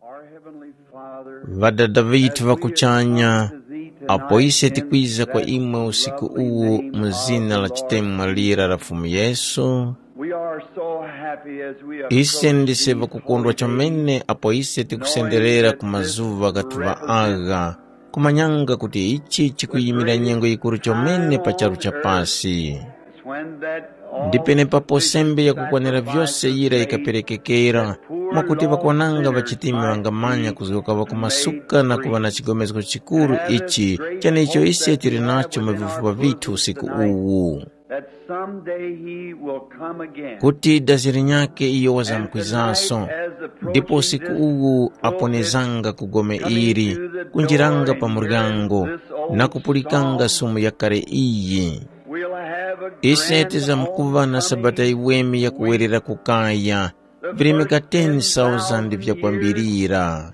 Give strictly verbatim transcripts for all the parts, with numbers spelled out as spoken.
Our Heavenly Father, Ŵadada ŵithu ŵa kuchanya, apo ise tikwiza kwa imwe usiku uwu mu zina la chitemwa lira la Fumu Yesu, we are so happy as we ise approach ndise these ŵakukondwa holy chomene apo ise tikusenderera ku mazuŵa gathuŵa agha, kumanyanga kuti ichi chikuyimira nyengo yikuru chomene pa charu cha pasi. It's when that all Ndi penepapo sembe yakukwanira vyose yira yikaperekekera, mwakuti ŵakwananga ŵachitimi ŵangamanya kuzgoka ŵakumasuka na kuŵa na chigomezgo chikuru ichi, chenecho ise tili nacho mu vifupa vithu usiku uwu. That someday he will come again. Kuti dazi linyakhe iyo wazamkwizaso. Ndipo usiku uwu aponezanga ku gome ili, kunjiranga pa muryango, na kupulikanga sumu yakale iyi. Ise tizamkuŵa na sabata yiweme yakuwerera ku kaya, virimika ten thousand vyakwambirira.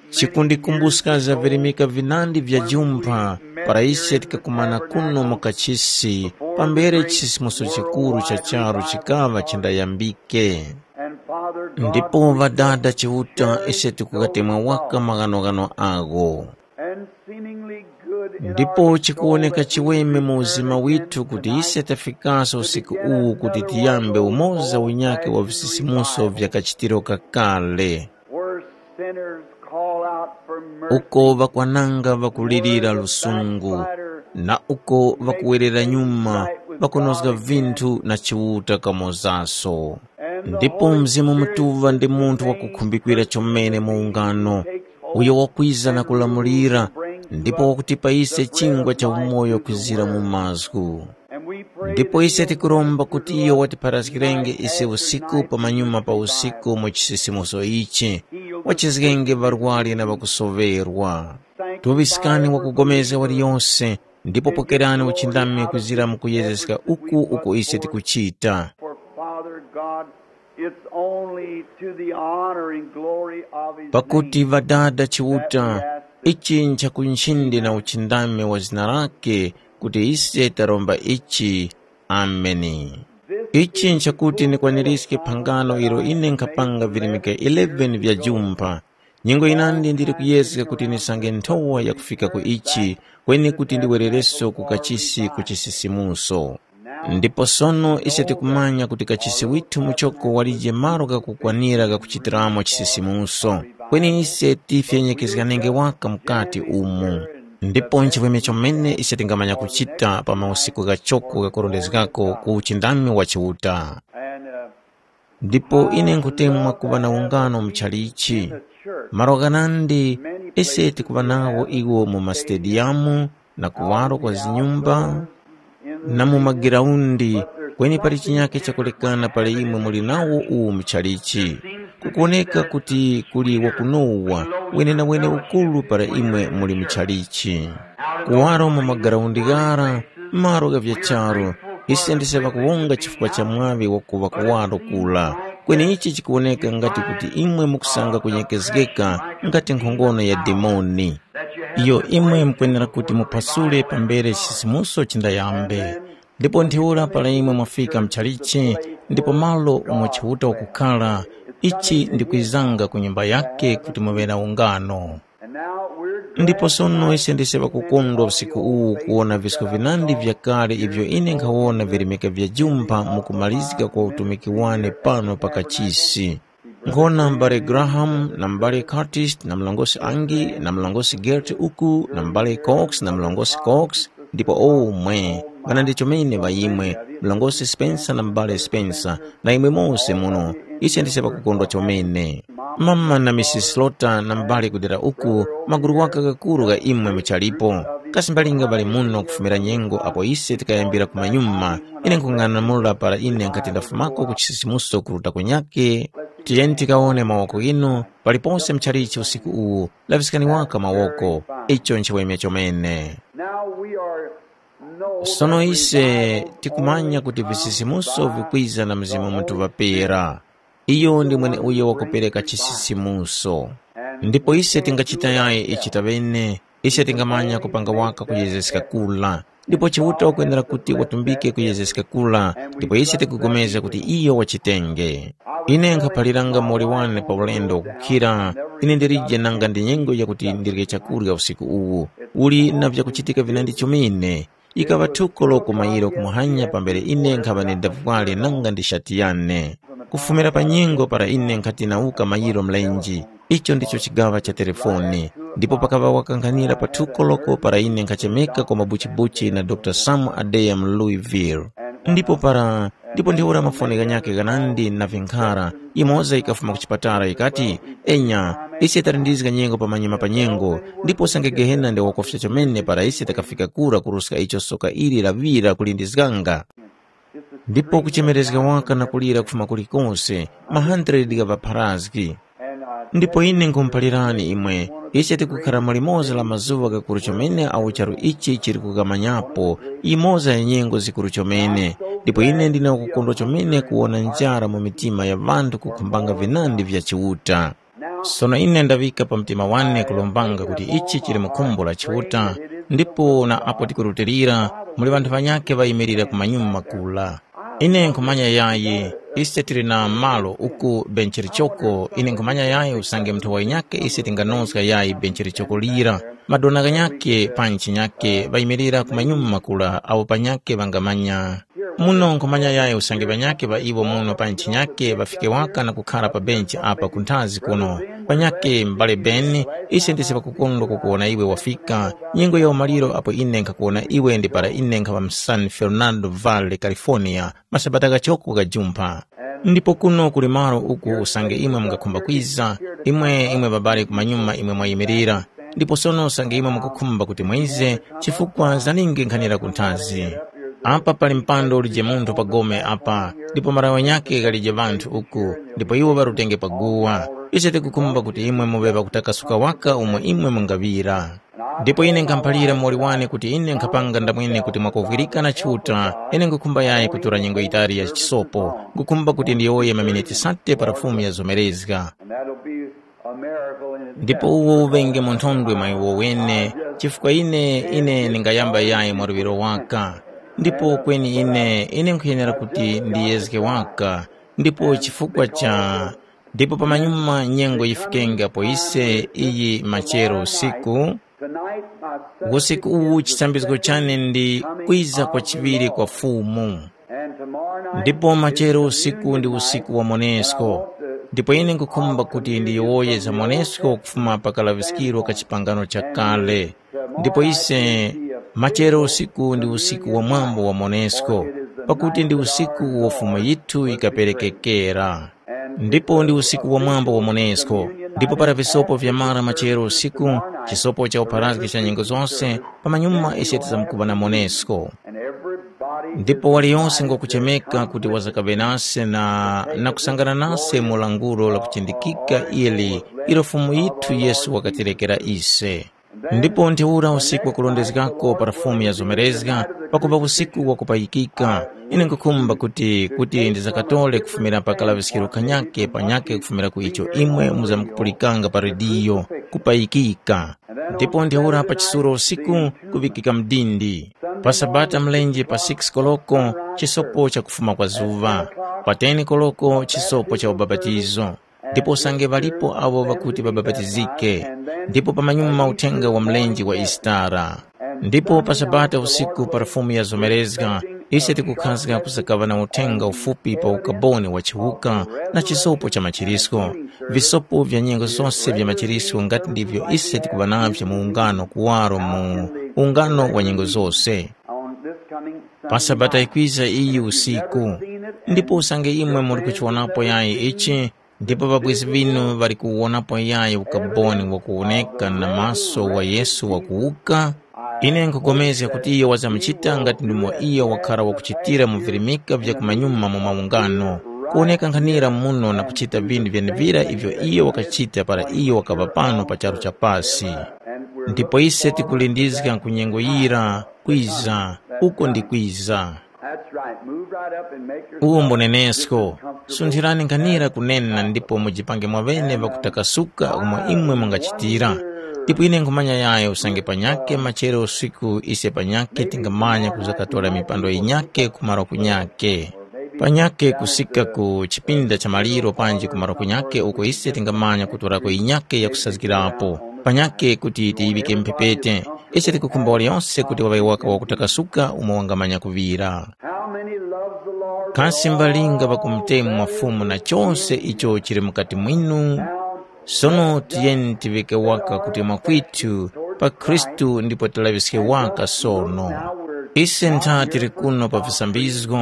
Chikundikumbuska za virimika vinandi vya jumpha, para ise tikakumana kuno mu kachisi, pambere chisisimuso chikuru cha charu chikaŵa chindayambike. Ndipo Ŵadada Chiuta, ise tikukatemwa waka maghanoghano agho. Ndipo chikuwoneka chiweme mu uzima withu kuti ise tafikaso usiku uwu kuti tiyambe umoza unyakhe wa visisimuso vya kachitiro kakale, where sinners call out for mercy, uko ŵakwananga ŵakulirira lusungu, na uko ŵakuwerera nyuma ŵakunozga vinthu na Chiuta kamozaso. Ndipo Mzimu Mutuŵa ndi munthu wakukhumbikira chomene mu ungano, uyo wakwiza na kulamulira, ndipo wakutipa ise chingwa cha umoyo kwizira mu mazgu. Ndipo ise tikuromba kuti iyo watipharazgirenge ise usiku pamanyuma pa usiku mu chisisimuso ichi, wachizgenge ŵarwari na ŵakusoŵerwa. Tuŵiskani wakugomezga waliyose, ndipo pokerani uchindami kwizira mu kuyezeska uku uko ise tikuchita. For Father God, it's only to the honor and glory of his Pakuti name Ŵadada Chiuta, that we ask this. Ichi nchakunchinde na uchindami wa zina lake kuti ise taromba ichi. Ameni. Ichi nchakuti nikwanirizge phangano ilo ine nkhapanga virimika eleven vya jumpha. Nyengo yinandi ndili kuyezga kuti ndisange nthowa yakufika ku ichi, kweni kuti ndiwerereso ku kachisi ku chisisimuso. Ndipo sono ise tikumanya kuti kachisi withu muchoko walije malo ghakukwanira ghakuchitiramo chisisimuso, kweni ise tifyenyekezganenge waka mukati umu. Ndipo nchivweme chomene ise tingamanya kuchita pa mausiku ghachoko ghakurondezgako ku uchindami wa Chiuta. And, uh, Ndipo ine nkhutemwa kuŵa na ungano mu chalichi. Malo ghanandi ise tikuŵa nawo iwo mu masitediyamu na kuwaro kwa zinyumba na mu magiraundi, kweni pali chinyakhe chakulekana pali imwe muli nawo uwu mu chalichi. Kukuwoneka kuti kuli wakunowa wenenawene ukuru para imwe muli mu chalichi. Kuwaro mu magaraundi ghara, malo gha vya charu, ise ndise ŵakuwonga chifukwa cha mwaŵi wakuŵa kuwaro kura. Kweni ichi chikuwoneka ngati kuti imwe mukusanga kunyekezgeka ngati nkhongono ya dimoni. Iyo imwe mukwenera kuti muphasule pambere chisisimuso chindayambe. Ndipo ntheura para imwe mwafika mchalichi, ndipo malo umo Chiuta wakukhala, ichi ndikwizanga ku nyumba yake kuti muŵe na ungano. Ndipo sono ise ndise ŵakukondwa usiku uwu kuwona visko vinandi vyakale ivyo ine nkhawona virimika vya jumpha mu kumalizika kwa utumiki wane pano pa kachisi. Nkhona m'bale Graham na m'bale Curtis na mlongosi Angie na mlongosi Gert uku na m'bale Cox na mlongosi Cox, ndipo omwe ŵanandi chomene ŵa imwe, mlongosi Spencer na m'bale Spencer, na imwe mose muno, ise ndise ŵakukondwa chomene. Mama na Misisi Slaughter na m'bale kudera uku, magulu waka ghakuru gha imwe muchalipo. Kasi mbalinga ŵali muno kufumira nyengo apo ise tikayambira kumanyuma, ine nkhung'anamula para ine nkhati ndafumako ku chisisimuso kuruta kunyakhe. Tiyeni tikawone mawoko ghinu, paliponse muchalichi usiku uwu, laŵiskani waka mawoko, icho nchiweme chomene. Now we are no Sono ise tikumanya kuti visisimuso vikwiza na Mzimu Mutuŵa Pera. Iyo ndi mweneuyo wakupereka chisisimuso. Ndipo ise tingachita yayi ichi taŵene, ise tingamanya kupanga waka kuyezeska kula. Ndipo Chiuta wakwenera kuti watumbike kuyezeska kura, ndipo ise tikupulikana kuti iyo wachitenge. Ine nkhaphaliranga muwoli wane pa ulendo wakukhira, ine ndilije nanga ndi nyengo yakuti ndirye chakurya usiku uwu. Uli na vyakuchitika vinandi chomene. Yikaŵa thuko loko mayiro kumuhanya pambere ine nkhaŵa ndindavwale nanga ndi shati yane. Kufumira pa nyengo para ine nkhati nawuka mayiro mlenji, icho ndicho chigaŵa cha telefoni. Ndipo pakaŵa wakankhanira pa thuko loko para ine nkhachemeka kwa mabuchibuchi na Dr. Sam Adea mu Louisville. Ndipo para ndipo ntheura mafoni ghanyakhe ghanandi na vinkhara, imoza yikafuma ku chipatala yikati, enya, ise talindizga nyengo pamanyuma pa nyengo, ndipo usange Gehena ndi wakufya chomene para ise takafika kura kuruska icho soka ili laŵira kulindizganga. Ndipo kuchemerezga waka na kulira kufuma kulikose, ma hundred gha ŵapharazgi. Ndipo ine nkhumuphalirani imwe, ise tikukhara mu limoza la mazuŵa ghakuru chomene awo charu ichi chili kukamanyapo, yimoza ya nyengo zikuru chomene. Ndipo ine ndine wakukondwa chomene kuwona njara mu mitima ya ŵanthu kukhumbanga vinandi vya Chiuta. Sono ine ndaŵika pa mtima wane kulombanga kuti ichi chili mu khumbo la Chiuta, ndipo na apo tikurutilira, muli ŵanthu ŵanyakhe ŵayimirira ku manyuma kula. Ine nkhumanya yayi, ise tili na malo uku benchi lichoko, ine nkhumanya yayi usange munthu wanyakhe ise tinganozga yayi benchi lichoko lira. Madona ghanyakhe panji nyakhe ŵayimirira ku manyuma kula awo panyakhe ŵangamanya. Muno nkhumanya yayi usange ŵanyakhe ŵa iwo muno pa ntchi nyakhe ŵafike waka na kukhara pa benchi apa kunthazi kuno. Panyakhe m'bale Beni, ise ndise ŵakukondwa kukuwona iwe wafika. Nyengo ya umaliro apo ine nkhakuwona iwe ndi para ine nkhaŵa mu San Fernando Valley, California, masabata ghachoko ghajumpha. Ndipo kuno kuli malo uku usange imwe mungakhumba kwiza, imwe imwe ŵabale kumanyuma imwe mwayimirira. Ndipo sono usange imwe mukukhumba kuti mwize, chifukwa zalingi nkhanira kunthazi. Apa pali mpando ulije munthu pa gome apa, ndipo marawe nyakhe ghalije ŵanthu uku, ndipo iwo ŵarutenge pa guwa. Ise tikukhumba kuti imwe muŵe ŵakutakasuka waka umo imwe mungaŵira. Ndipo ine nkhamuphalira muwoli wane kuti ine nkhapanga ndamwene kuti mwakuvwirika na Chiuta, ine nkhukhumba yayi kutora nyengo yitali ya chisopo, nkhukhumba kuti ndiyowoye maminiti sate para Fumu yazomerezga. And that'll be a miracle in itself. Ndipo uwo uŵenge munthondwe mwa iwo wene, chifukwa ine ine ndingayamba yayi mwa luŵiro waka. Ndipo kweni ine ine nkhuyenera kuti ndiyezge waka, ndipo chifukwa cha ndipo pamanyuma nyengo yifikenge apo ise iyi machero usiku. Tonight, my subject usiku uwu is the chisambizgo second chane ndi coming kwiza of kwa the chiŵiri Lord. Kwa Fumu. And tomorrow night ndipo is machero the usiku ndi usiku wa monesko. Ndipo ine nkukhumba kuti ndiyowoye za monesko kufuma pa kalaŵiskiro ka chipangano chakale. Ndipo ise machero usiku ndi usiku wa mwambo wa monesko, pakuti ndi usiku uwo Fumu yithu yikaperekekera. Ndipo ndi usiku wa mwambo wa monesko. Ndipo para visopo vyamara machero usiku, chisopo cha upharazgi cha nyengo zose, pamanyuma ise tizamkuŵa na monesko. Ndipo waliyose ngwakuchemeka kuti wazakaŵe nase na, na kusangana nase mu langulo la kuchindikika ili ilo Fumu yithu Yesu wakatirekera ise. Ndipo ntheura usiku wakurondezgako para Fumu yazomerezga, pakuŵa usiku wakupayikika, ine nkhukhumba kuti kuti ndizakatore kufumira pa kalaŵiskiro kanyake panyake kufumira ku icho imwe muzamkupulikanga pa rediyo, kupayikika. Ndipo ntheura pa chisuro usiku kuŵikika mdindi. Pa Sabata mlenje pa six koloko, chisopo cha kufuma kwa zuŵa. Pa ten koloko, chisopo cha ubapatizo. Ndipo usange ŵalipo awo ŵakuti ŵabapatizike. Ndipo pamanyuma uthenga wa mlenje wa Isitara. Ndipo pa Sabata usiku para Fumu yazomerezga, ise tikukhazga kusakaŵa na uthenga ufupi pa ukaboni wa chiwuka na chisopo cha machirisko. Visopo vya nyengo zose vya machirisko ngati ndivyo ise tikuŵa navyo mu ungano kuwaro mu ungano wa nyengo zose. On this coming pa Sabata ikwiza iyi usiku. Ndipo usange imwe muli kuchiwonapo yayi ichi, ndipo ŵabwezi ŵinu ŵali kuwuwonapo yayi ukaboni wakuwoneka na maso wa Yesu wakuwuka, ine nkhupulikana kuti iyo wazamuchita ngati ndimo iyo wakhara wakuchitira mu virimika vya kumanyuma mu maungano, kuwoneka nkhanira muno na kuchita vinthu vyenevira ivyo iyo wakachita para iyo wakaŵa pano pa charu cha pasi. Ndipo ise tikulindizga ku nyengo yira, kwiza, uko ndi kwiza. That's right. Move right up and make yourself uwo mbonenesko. Sunthirani nkhanira kunena ndipo mujipange mwaŵene ŵakutakasuka umo imwe mungachitira. Ndipo ine nkhumanya yayo usange panyakhe machero usiku ise panyakhe tingamanya kuzakatora mipando yinyakhe ku malo kunyakhe. Panyakhe kusika ku chipinda cha maliro panji ku malo kunyakhe uko ise tingamanya kutorako yinyakhe yakusazgirapo. Panyakhe kuti tiyiŵike mphepete. Ise tikukhumba waliyonse kuti waŵe waka wakutakasuka umo wangamanya kuŵira. How many loves the Lord? Kasi mbalinga ŵakumutemu mwa Fumu na chose icho chili mukati mwinu? Sono tiyeni tiŵike waka kuti mwakwithu pa Khristu ndipo tilaŵiske waka sono. Ise ntha tili kuno pa visambizgo,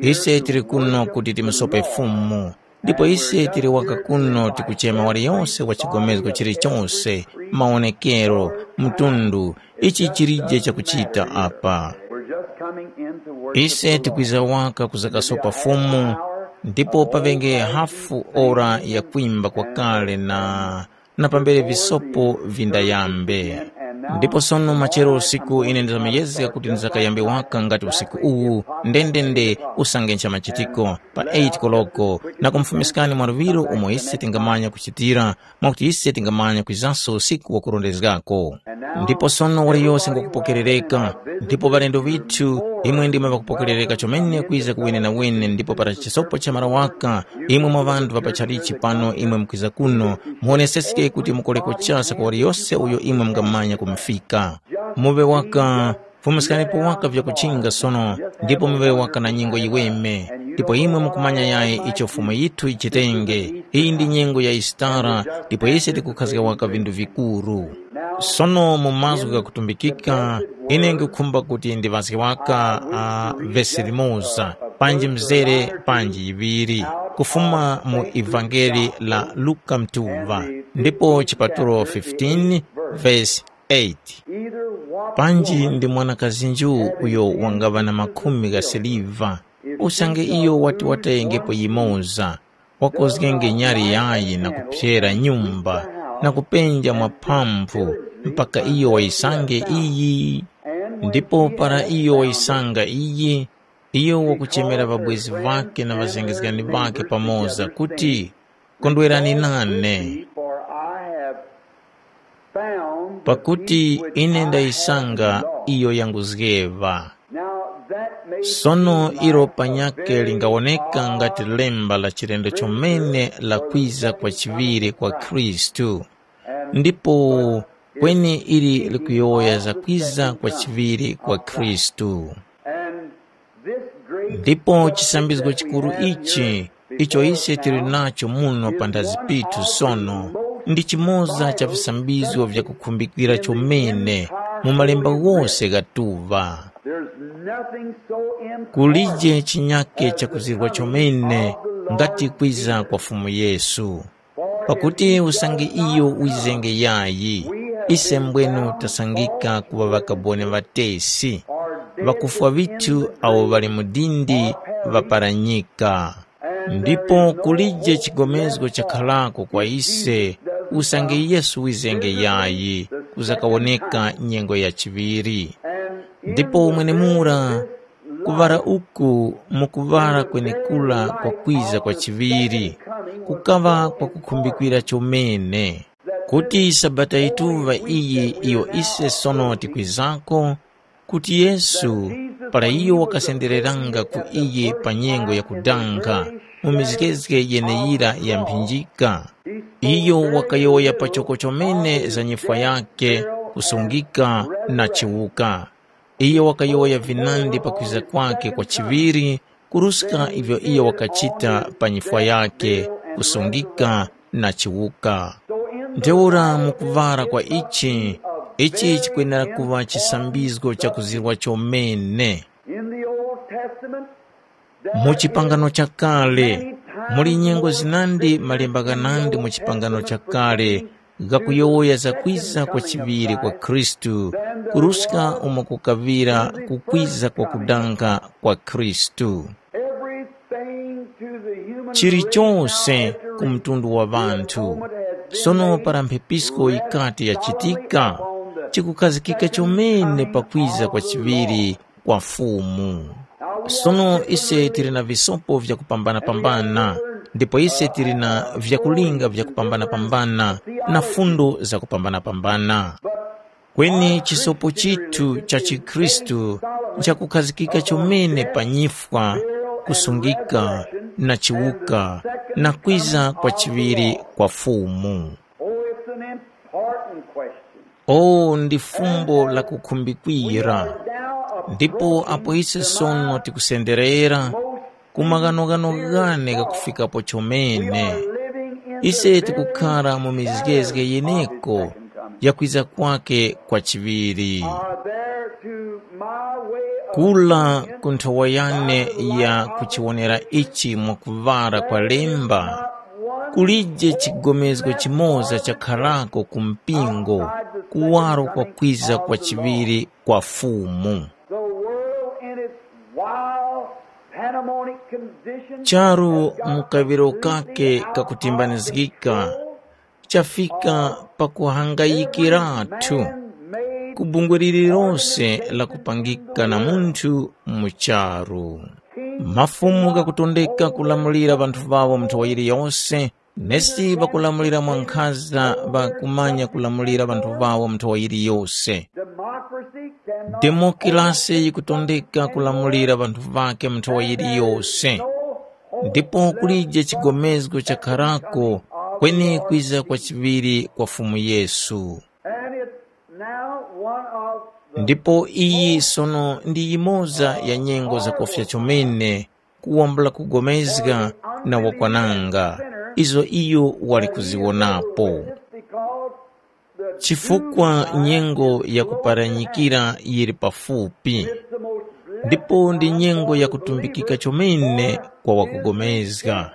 ise tili kuno kuti timusope Fumu. Ndipo ise tili waka kuno tikuchema waliyonse wa chigomezgo chilichose, mawonekero, mtundu, ichi chilije chakuchita apa. We're just coming in to worship Ise the Lord. Tikwiza waka kuzakasopa Fumu, ndipo paŵenge hafu ora ya kwimba kwakale na na pambere visopo vindayambe. Ndipo sono machero usiku ine ndizamuyezga kuti ndizakayambe waka ngati usiku uwu, ndendende usange ncha machitiko pa eight koloko, na kumufumiskani mwa luŵiro umo ise tingamanya kuchitira, mwakuti ise tingamanya kwizanso usiku wakurondezgako. Ndipo sono waliyose ngwakupokerereka, ndipo ŵalendo ŵithu, imwe ndimwe ŵakupokerereka chomene kwiza ku wenenawene, ndipo para chisopo chamara waka, imwe mwa ŵanthu ŵa pachalichi pano imwe mukwiza kuno, muwoneseske kuti mukoreko chasa kwa waliyose uyo imwe mungamanya kumufika. Muŵe waka, fumiskanipo waka vyakuchinga sono, ndipo muŵe waka na nyengo yiweme, ndipo imwe mukumanya yayi icho Fumu yithu yichitenge. Iyi ndi nyengo ya Yisitara, ndipo ise tikukhazga waka vinthu vikuru. Sono mu mazgu ghakutumbikika, ine nkhukhumba kuti ndiŵazge waka uh, vesi limoza, panji mzere, panji yiŵiri, kufuma mu ivangeli la Luka mtuŵa, ndipo chipatulo fifteen, vesi eight. Panji ndi mwanakazi nju uyo wangaŵa na makhumi gha siliva, usange iyo wati watayengepo yimoza, wakozgenge nyali yayi na kuphyera nyumba na kupenja mwa phamphu mpaka iyo wayisange iyi. Ndipo para iyo wayisanga iyi, iyo wakuchemera ŵabwezi ŵakhe na ŵazengezgani ŵakhe pamoza kuti, kondwerani nane. For I have found the Pakuti peace which ine I ndayisanga have lost. Iyo yanguzgeŵa. Now that may Sono seem ilo like a panyakhe very lingawoneka odd ngati lemba la chilendo chomene la kwiza kwa chiŵiri kwa Khristu. Ndipo kweni ili likuyowoya za kwiza kwa chiŵiri kwa Khristu. And this great Ndipo chisambizgo chikuru ichi icho ise tili nacho muno panthazi pithu sono, ndi chimoza cha visambizgo vyakukhumbikira chomene mu malemba ghose ghatuŵa. There's nothing so impossible Kulije chinyake chakuzirwa chomene ngati kwiza kwa Fumu Yesu. Pakuti usange iyo wizenge yayi, ise mbwenu tasangika kuŵa ŵakaboni ŵatesi, ŵakufwa ŵithu awo ŵali mu dindi ŵaparanyika. Ndipo kulije chigomezgo chakharako kwa ise usange Yesu wizenge yayi kuzakawoneka nyengo ya chiŵiri. Ndipo umwenemura, kuŵala uku mukuŵala kwenekura kwa kwiza kwa chiŵiri, kukaŵa kwakukhumbikira chomene, kuti Sabata yituŵa iyi iyo ise sono tikwizako, kuti Yesu, para iyo wakasendereranga ku iyi pa nyengo ya kudankha mu mizgezge yeneyira ya mphinjika, iyo wakayowoya pachoko chomene za nyifwa yakhe, kusungika na chiwuka. Iyo wakayowoya vinandi pakwiza kwakhe kwa chiŵiri, kuruska ivyo iyo wakachita pa nyifwa yakhe, kusungika na chiwuka. Ntheura mu kuŵala kwa ichi, ichi chikwenera kuŵa chisambizgo chakuzirwa chomene. In the Old Testament, mu chipangano chakale, muli nyengo zinandi malemba ghanandi mu chipangano chakale ghakuyowoya za kwiza kwa chiŵiri kwa Khristu, kuruska umo kukaŵira kukwiza kwa kudankha kwa Khristu. Everything to the human Chilichonse ku mtundu wa ŵanthu. Sono para mphepisko yikati yachitika, chikukhazikika chomene pakwiza kwa chiŵiri kwa Fumu. Sono ise tili na visopo vyakupambana-pambana, Ndipo ise tili na vyakulinga vyakupambana-pambana na fundo zakupambana-pambana. Kweni chisopo chithu cha chikhristu nchakukhazikika chomene pa nyifwa, kusungika, na chiwuka, na kwiza kwa chiŵiri kwa Fumu. Oh, it's an important question. Oh, ndi fumbo la kukhumbikwira. Ndipo apo ise sono tikusenderera ku maghanoghano ghane ghakufikapo chomene, ise tikukhara mu mizgezge yeneko ya kwiza kwake kwa chiŵiri. Are there to my way of Kula ku nthowa yane ya kuchiwonera ichi mwakuŵara kwa lemba, kulije chigomezgo chimoza chakharako ku mpingo, kuwaro kwa kwiza kwa chiŵiri kwa Fumu. The world in its wild, pandemonic condition Charu mu kaŵiro kake kakutimbanizgika, chafika pakuhangayikiratu ku bungwe lililonse lakupangika na munthu mu charu. Mafumu ghakutondeka kulamulira ŵanthu ŵawo mu nthowa yiliyose, nesi ŵakulamulira mwankhaza ŵakumanya kulamulira ŵanthu ŵawo mu nthowa yiliyose. Democracy can Demokrasi yikutondeka kulamulira ŵanthu ŵake mu nthowa yiliyose. Ndipo kulije chigomezgo chakharako kweni kwiza kwa chiŵiri kwa Fumu Yesu. And it's now one of the Ndipo iyi sono ndi yimoza ya nyengo zakofya chomene kuwambula kugomezga na wakwananga izo iyo wali kuziwonapo. Because Chifukwa nyengo ya kuparanyikira yili pafupi, ndipo ndi nyengo ya kutumbikika chomene kwa wakugomezga,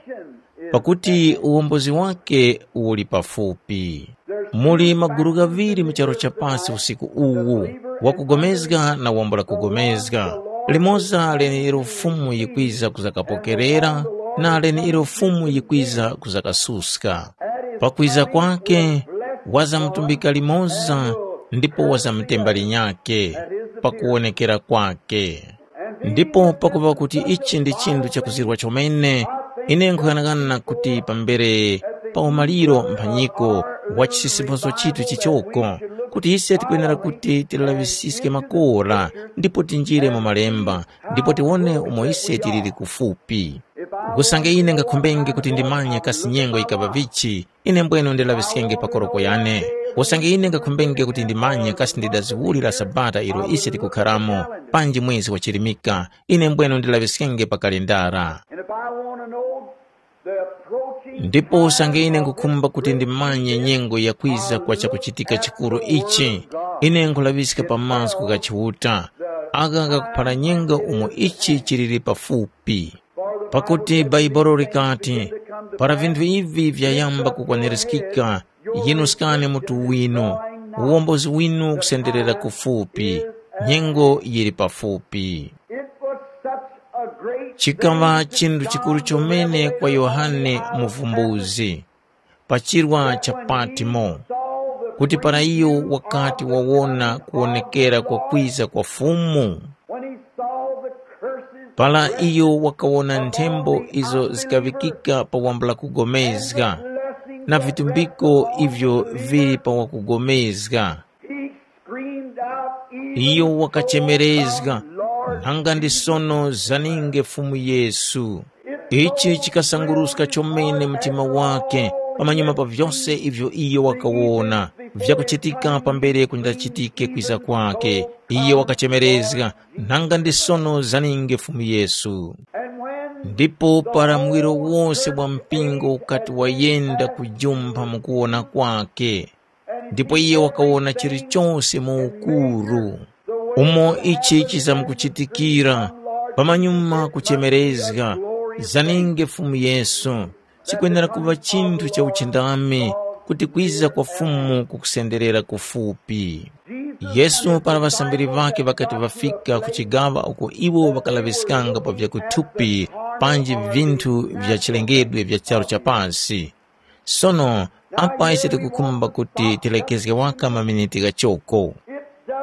pakuti uwombozi wake uli pafupi. Muli magulu ghaŵiri mu charu cha pasi usiku uwu, wakugomezga na wambula kugomezga. Limoza leneliro Fumu yikwiza kuzakapokerera, na leneliro Fumu yikwiza kuzakasuska. Pakwiza kwake, wazamutumbika limoza ndipo wazamutemba linyakhe pakuwonekera kwake. Ndipo pakuŵa kuti ichi ndi chinthu chakuzirwa chomene, ine nkhughanaghana kuti pambere pa umaliro mphanyiko wa chisisimuso chithu chichoko, kuti ise tikwenera kuti tilaŵisiske makora ndipo tinjire mu malemba, ndipo tiwone umo ise tiliri kufupi. Usange ine ngakhumbenge kuti ndimanye kasi nyengo yikaŵa vichi, ine mbwenu ndilaŵiskenge pa koroko yane. Usange ine ngakhumbenge kuti ndimanye kasi ndi dazi uli la Sabata ilo ise tikukharamo, panji mwezi wa chirimika, ine mbwenu ndilaŵiskenge pa kalendara. And if I want to know the approaching Ndipo usange ine time of ngukhumba kuti this ndimanye great nyengo ya kwiza kwa chakuchitika chikuru ichi, ine nkulaŵiska pa mazgu gha Chiuta, agha ghakuphara nyengo umo ichi chiliri pafupi. Pakuti Bhaibuli likati, para vinthu ivi vyayamba kukwanirizgika, yinuskani mutu winu, uwombozi winu ukusenderera kufupi, nyengo yili pafupi. It was such a great Chikaŵa thing to chinthu chikuru John the chomene kwa Baptist Yohane Muvumbuzi pa chirwa cha Patimo, kuti para iyo wakati wawona kuwonekera kwa kwiza kwa Fumu, when he saw the curses para iyo wakawona nthembo izo zikaŵikika pa wambula kugomezga na vitumbiko ivyo vili pa wakugomezga. He screamed out, even Iyo wakachemerezga, nanga ndi sono zaninge Fumu Yesu. Ichi chikasanguruska chomene mtima wake pamanyuma pa vyose ivyo iyo wakawona vyakuchitika pambere kundachitike kwiza kwake. Iyo wakachemerezga, nanga ndi sono zaninge Fumu Yesu. Ndipo para mwiro wose wa mpingo ukati wayenda kujumpha mu kuwona kwake, ndipo iye wakawona chilichose mu ukuru. Umo ichi chizamkuchitikira, pamanyuma kuchemerezga, zaninge Fumu Yesu, chikwenera kuŵa chinthu cha uchindami kuti kwiza kwa Fumu kukusenderera kufupi. Yesu para ŵasambiri ŵakhe ŵakati ŵafika ku chigaŵa uko iwo ŵakalaŵiskanga pa vyakuthupi panji vinthu vya chilengedwe vya charu cha pasi, Sono, apa ise tikukhumba kuti tilekezge waka maminiti ghachoko.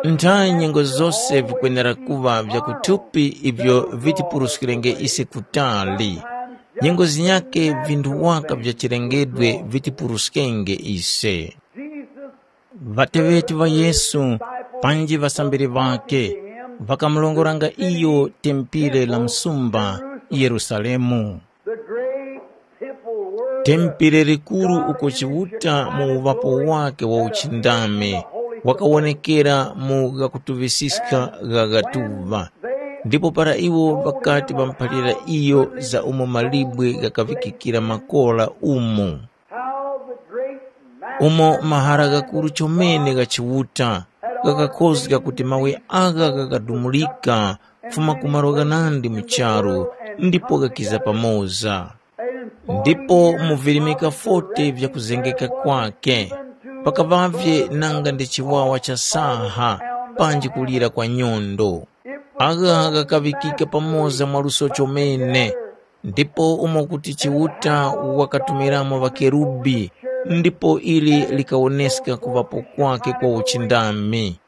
Nthayi nyengo zose vikwenera kuŵa vya kuthupi ivyo vitipuruskirenge ise kutali. Nyengo zinyakhe vinthu waka vya chilengedwe vitipuruskenge ise. Ŵateŵeti ŵa Yesu panji ŵasambiri ŵakhe ŵakamurongoranga iyo tempire la msumba Yerusalemu. The great temple where Tempire likuru uko Chiuta mu uŵapo wakhe wa uchindami wakawonekera mu ghakutuŵisiska gha ghatuŵa. Ndipo para iwo ŵakati ŵamuphalira iyo za umo malibwe ghakaŵikikira makora umo, how the great umo mahara ghakuru chomene gha Chiuta ghakakhozga kuti mawe agha ghakadumulika kufuma ku malo ghanandi mu charu ndipo ghakiza pamoza. Ndipo mu virimika forty vya kuzengeka kwake, pakaŵavye nanga ndi chiwawa cha saha panji kulira kwa nyondo. Agha ghakaŵikika pamoza mwaluso chomene, ndipo umo kuti Chiuta wakatumiramo ŵakerubi, ndipo ili likawoneska kuŵapo kwake kwa uchindami.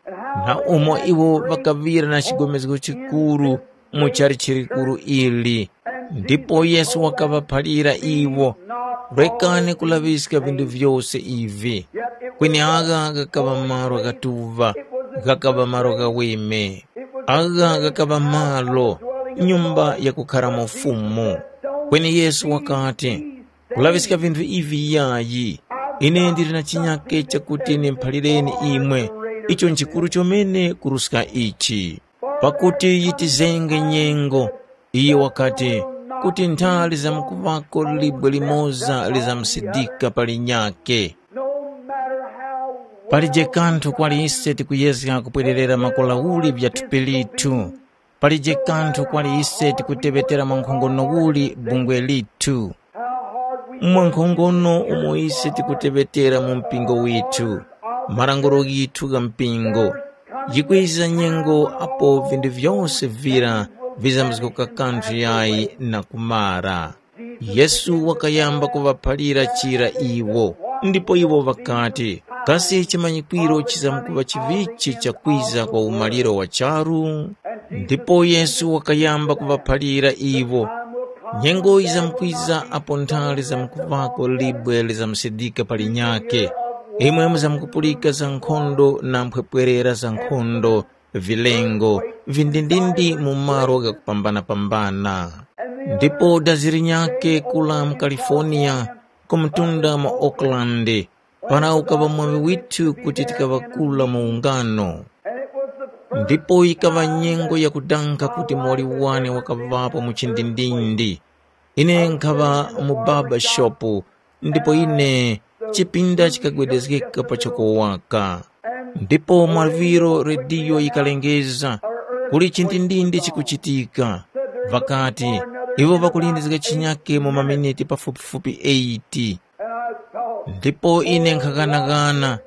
Na umo iwo ŵakaŵira na chigomezgo chikuru mu chalichi likuru ili. Ndipo Yesu wakaŵaphalira iwo, rekani kulaŵiska vinthu vyose ivi. Kweni agha ghakaŵa malo ghatuŵa, ghakaŵa malo ghaweme. Agha ghakaŵa malo, nyumba yakukharamo Fumu. Kweni Yesu wakati, kulaŵiska vinthu ivi yayi. Ine ndili na chinyake chakuti ndimuphalireni imwe, icho nchikuru chomene kuruska ichi. Pakuti yitizenge nyengo, iye wakati, kuti nthali zamkuŵako libwe limoza lizamusidika pa linyakhe. Palije kanthu kwali ise tikuyezga kupwererera makora uli vya thupi lithu. Palije kanthu kwali ise tikuteŵetera mwankhongono uli bungwe lithu. Mwankhongono umo ise tikuteŵetera mu mpingo withu, malangulo ghithu gha mpingo. Yikwiza nyengo apo vinthu vyose vira vizamzgoka kanthu yayi na kumara. Yesu wakayamba kuŵaphalira chira iwo, ndipo iwo ŵakati, kasi chimanyikwiro chizamkuŵa chivichi chakwiza kwa umaliro wa charu? Ndipo Yesu wakayamba kuŵaphalira iwo, nyengo yizamkwiza apo nthali zamkuŵako libwe lizamusidika pa linyakhe, imwe muzamkupulika za nkhondo na mphwepwerera za nkhondo, vilengo, vindindindi mu malo ghakupambana-pambana. Ndipo dazi linyakhe kula mu California, ku mtunda mwa Oakland, para ukaŵa mwaŵi withu kuti tikaŵa kula mu ungano. Ndipo yikaŵa nyengo yakudanga kuti muwoli wane wakaŵapo mu chindindindi. Ine nkhaŵa mu baba shopu, ndipo ine chipinda chikagwedezgeka pachoko waka. Ndipo mwaŵiro rediyo yikalengeza, kuli chindindindi chikuchitika. Ŵakati, iwo ŵakulindizga chinyake mu maminiti pafupifupi eight. Ndipo ine nkhaghanagana,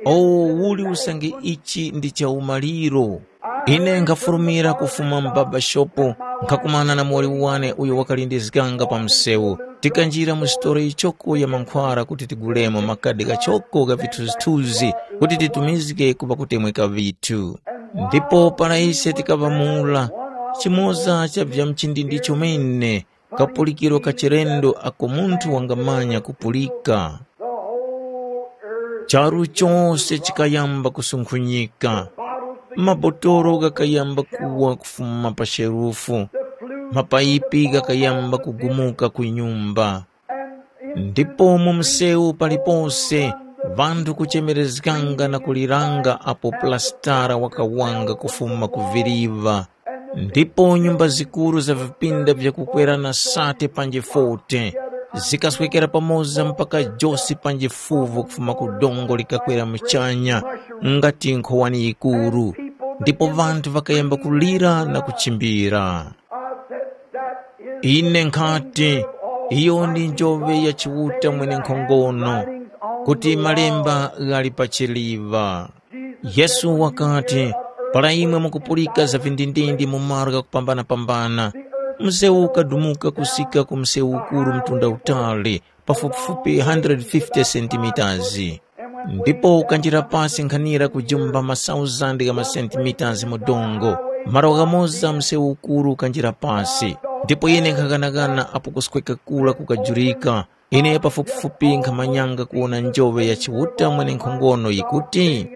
o, uli usange ichi ndi chaumaliro. Ine nkhafurumira kufuma mu baba shopu, nkhakumana na muwoli wane uyo wakalindizganga pa msewu. Tikanjira mu sitolo yichoko ya mankhwara kuti tigulemo makadi ghachoko gha vithuzithuzi kuti titumizge ku ŵakutemweka ŵithu. Ndipo para ise tikaŵa mura, chimoza cha vya mchindindi chomene, kapulikiro ka chilendo ako munthu wangamanya kupulika. Charu chose chikayamba kusunkhunyika. Mabotolo ghakayamba kuwa kufuma pa sherufu. Mapayipi ghakayamba kugumuka ku nyumba. Ndipo mu msewu palipose, ŵanthu kuchemerezganga na kuliranga apo pulasitara wakawanga kufuma ku viriva. Ndipo nyumba zikuru za vipinda vya kukwerana sate panji forte zikaswekera pamoza mpaka josi panji fuvu kufuma ku dongo likakwera muchanya ngati nkhowani yikuru. Ndipo ŵanthu ŵakayamba kulira na kuchimbira. Ine nkhati, iyo ndi njove ya Chiuta mwenenkhongono, kuti malemba ghali pachiliŵa. Yesu wakati, para imwe mukupulika za vindindindi mu malo ghakupambana-pambana, msewu ukadumuka kusika ku msewu ukuru mtunda utali, pafupifupi one hundred fifty sentimitazi. Ndipo ukanjira pasi nkhanira kujumba masauzandi gha masentimitazi mu dongo, malo ghamoza msewu ukuru ukanjira pasi. Ndipo ine nkhaghanagana apo kusweka kura kukajurika. Ine pafupifupi nkhamanyanga kuwona njoŵe ya Chiuta mwenenkhongono yikuti,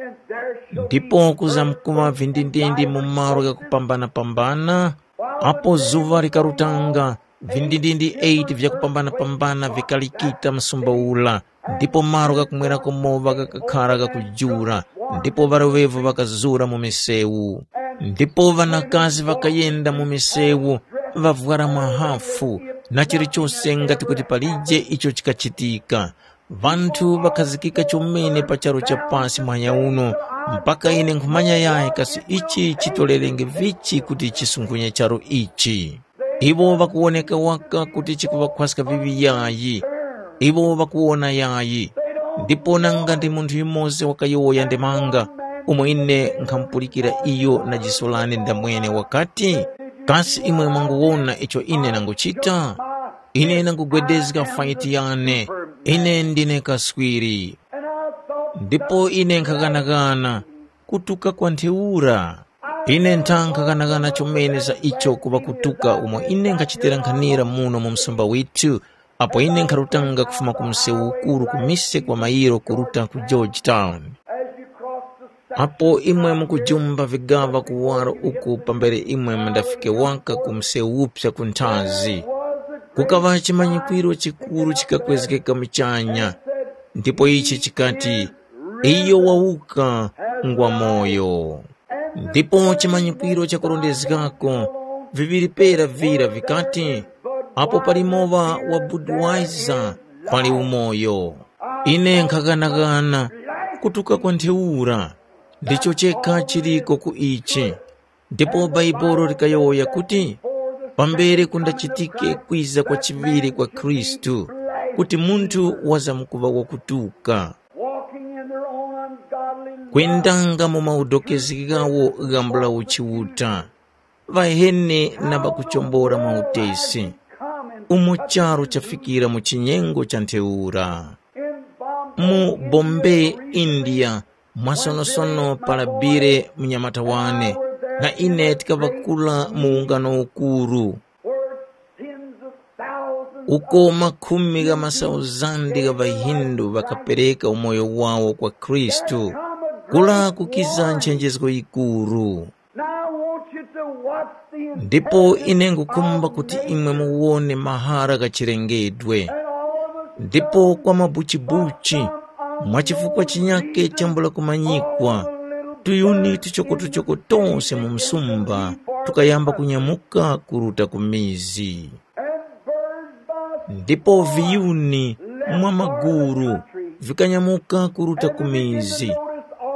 ndipo kuzamkuŵa vindindindi mu malo ghakupambana-pambana, apo zuŵa likarutanga, vindindindi eight vyakupambana-pambana vikalikita msumba ura, ndipo malo ghakumwerako mowa ghakakhara ghakujula, ndipo ŵaroŵevo ŵakazura mu misewu. Ndipo ŵanakazi ŵakayenda mu misewu, ŵavwara mahafu, na chilichose ngati kuti palije icho chikachitika. Ŵanthu ŵakhazikika chomene pa charu cha pasi muhanya uno, mpaka ine nkhumanya yayi kasi ichi chitorerenge vichi kuti chisunkhunya charu ichi. Iwo ŵakuwoneka waka kuti chikuŵakhwaska viŵi yayi. Iwo ŵakuwona yayi. Ndipo nanga ndi munthu yumoza wakayowoya ndemanga, umo ine nkhamupulikira iyo na jiso lane ndamwene wakati, “Kasi imwe mwanguwona icho ine nanguchita? Ine nangugwedezga faiti yane. Ine ndine kaswiri.” Ndipo ine nkhaghanagana kutuka kwa ntheura. Ine ntha nkhaghanagana chomene za icho kuŵa kutuka umo ine nkhachitira nkhanira muno mu msumba withu, apo ine nkharutanga kufuma ku msewu ukuru ku mise kwa mayiro kuruta ku Georgetown. Apo imwe mukujumba vigaŵa kuwaro uku pambere imwe mundafike waka ku msewu uphya ku nthazi, kukaŵa chimanyikwiro chikuru chikakwezgeka muchanya, ndipo ichi chikati, “Iyo wawuka, ngwamoyo.” Ndipo chimanyikwiro chakurondezgako viŵiri pera vira vikati, “Apo pali mowa wa Budweiser, pali umoyo.” Ine nkhaghanagana kutuka kwa ntheura, ndicho chekha chiliko ku ichi. Ndipo Bhaibuli likayowoya kuti, “Pambere kundachitike kwiza kwa chiŵiri kwa Khristu, kuti munthu wazamkuŵa wakutuka.” Walking in their own ungodly love. Kwendanga mu maudokezgi ghawo ghambula uchiuta, ŵaheni na ŵakuchombora mwa utesi, umo charu chafikira mu chinyengo cha ntheura. Mu Bombay, India, mwasonosono palabire munyamata wane, na ine tikaŵa kura mu ungano ukuru. Uko makhumi gha masauzandi gha ŵaHindu ŵakapereka umoyo wawo kwa Khristu, kula kukiza nchenjezgo yikuru. Now I want you to watch the Ndipo ine ngukhumba kuti imwe muwone mahara gha chilengedwe. Ndipo kwa mabuchibuchi, mwa chifukwa chinyake chambula kumanyikwa, tuyuni tuchokotuchoko tose mu msumba tukayamba kunyamuka kuruta ku mizi. Ndipo viyuni mwa maguru vikanyamuka kuruta ku mizi,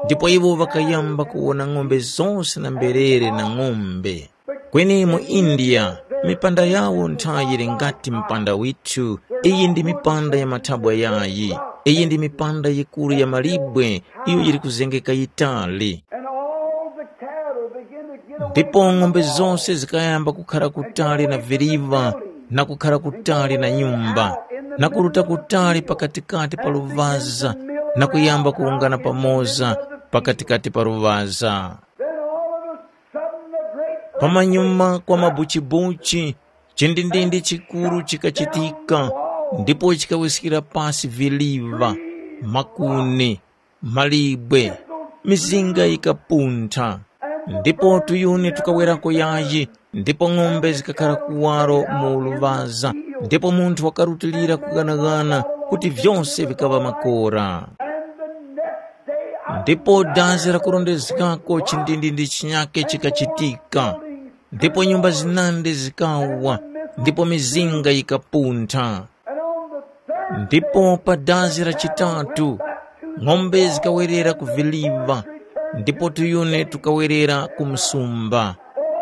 ndipo iwo ŵakayamba kuwona ng'ombe zose na mberere na ng'ombe. Kweni mu India, mipanda yawo nthayi yili ngati mpanda withu. Iyi ndi mipanda ya mathabwa yayi. Iyi ndi mipanda yikuru ya malibwe iyo yili kuzengeka yitali. And all the cattle begin to get away. Ndipo ng'ombe zose zikayamba kukhara kutali na viriva na kukhara kutali na nyumba, na kuruta kutali pakatikati pa luvaza, na kuyamba kuwungana pamoza pakatikati pa luvaza. Then all of a sudden the great Pamanyuma kwa mabuchibuchi, chindindindi chikuru chikachitika, ndipo chikawiskira pasi viliva, makuni, malibwe, mizinga yikapuntha. Ndipo tuyuni tukawerako yayi, ndipo ng'ombe zikakhala kuwaro mu luvaza, ndipo munthu wakarutilira kughanaghana kuti vyose vikaŵa makora. Ndipo dazi lakurondezgako chindindindi chinyakhe chikachitika, ndipo nyumba zinandi zikawa, ndipo mizinga yikapuntha. Ndipo pa dazi la chitatu, ng'ombe zikawerera ku viliva, ndipo tuyuni tukawerera ku msumba.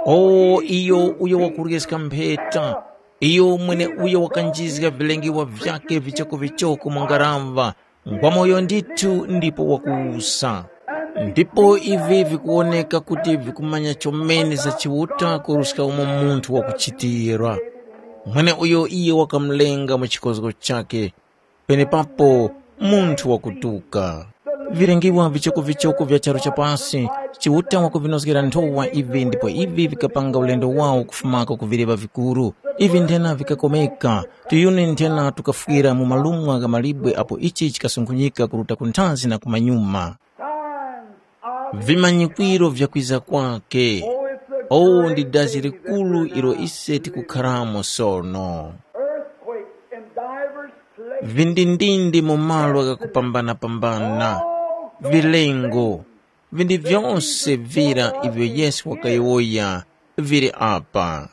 O iyo uyo wakuryeska mpheta, iyo mweneuyo wakanjizga vilengewa vyakhe vichokovichoko mu ngaraŵa, ngwamoyo ndithu ndipo wakuwusa. Ndipo ivi vikuwoneka kuti vikumanya chomene za Chiuta kuruska umo munthu wakuchitira. Mweneuyo iyo wakamulenga mu chikozgo chakhe, penepapo munthu wakutuka. Vilengiwa vichokovichoko vya charu cha pasi, Chiuta wakuvinozgera nthowa ivi ndipo ivi vikapanga ulendo wawo kufumako ku viliŵa vikuru. Ivi nthena vikakomeka, tiyuni nthena tukafwira mu malumwa gha malibwe apo ichi chikasunkhunyika kuruta ku nthazi na kumanyuma. Vimanyikwiro vya kwiza kwake. Oh, ndi dazi likuru ilo ise tikukharamo sono. Earthquakes in divers places. Vindindindi mu malo ghakupambanapambana, vilengo, vindi vyose vira ivyo Yesu wakayowoya vili apa.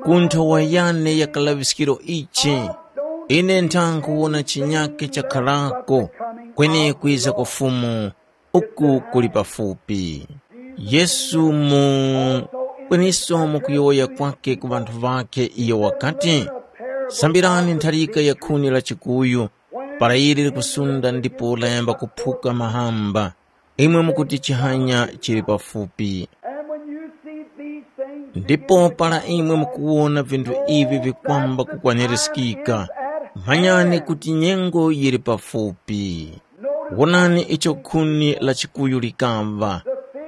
Ku nthowa yane ya kalaŵiskiro ichi, ine ntha nkhuwona chinyake chakharako, kweni kwiza kwa Fumu uku kuli pafupi. Yesu mu kweniso mu kuyowoya kwake ku ŵanthu ŵakhe iyo wakati, sambirani ntharika ya khuni la chikuyu, para ili likusunda ndipo layamba kuphuka mahamba, imwe mukuti chihanya chili pafupi. And when you see these things, ndipo para imwe mukuwona vinthu ivi vikwamba kukwanirizgika, manyani kuti nyengo yili pafupi. Wonani icho khuni la chikuyu likamva.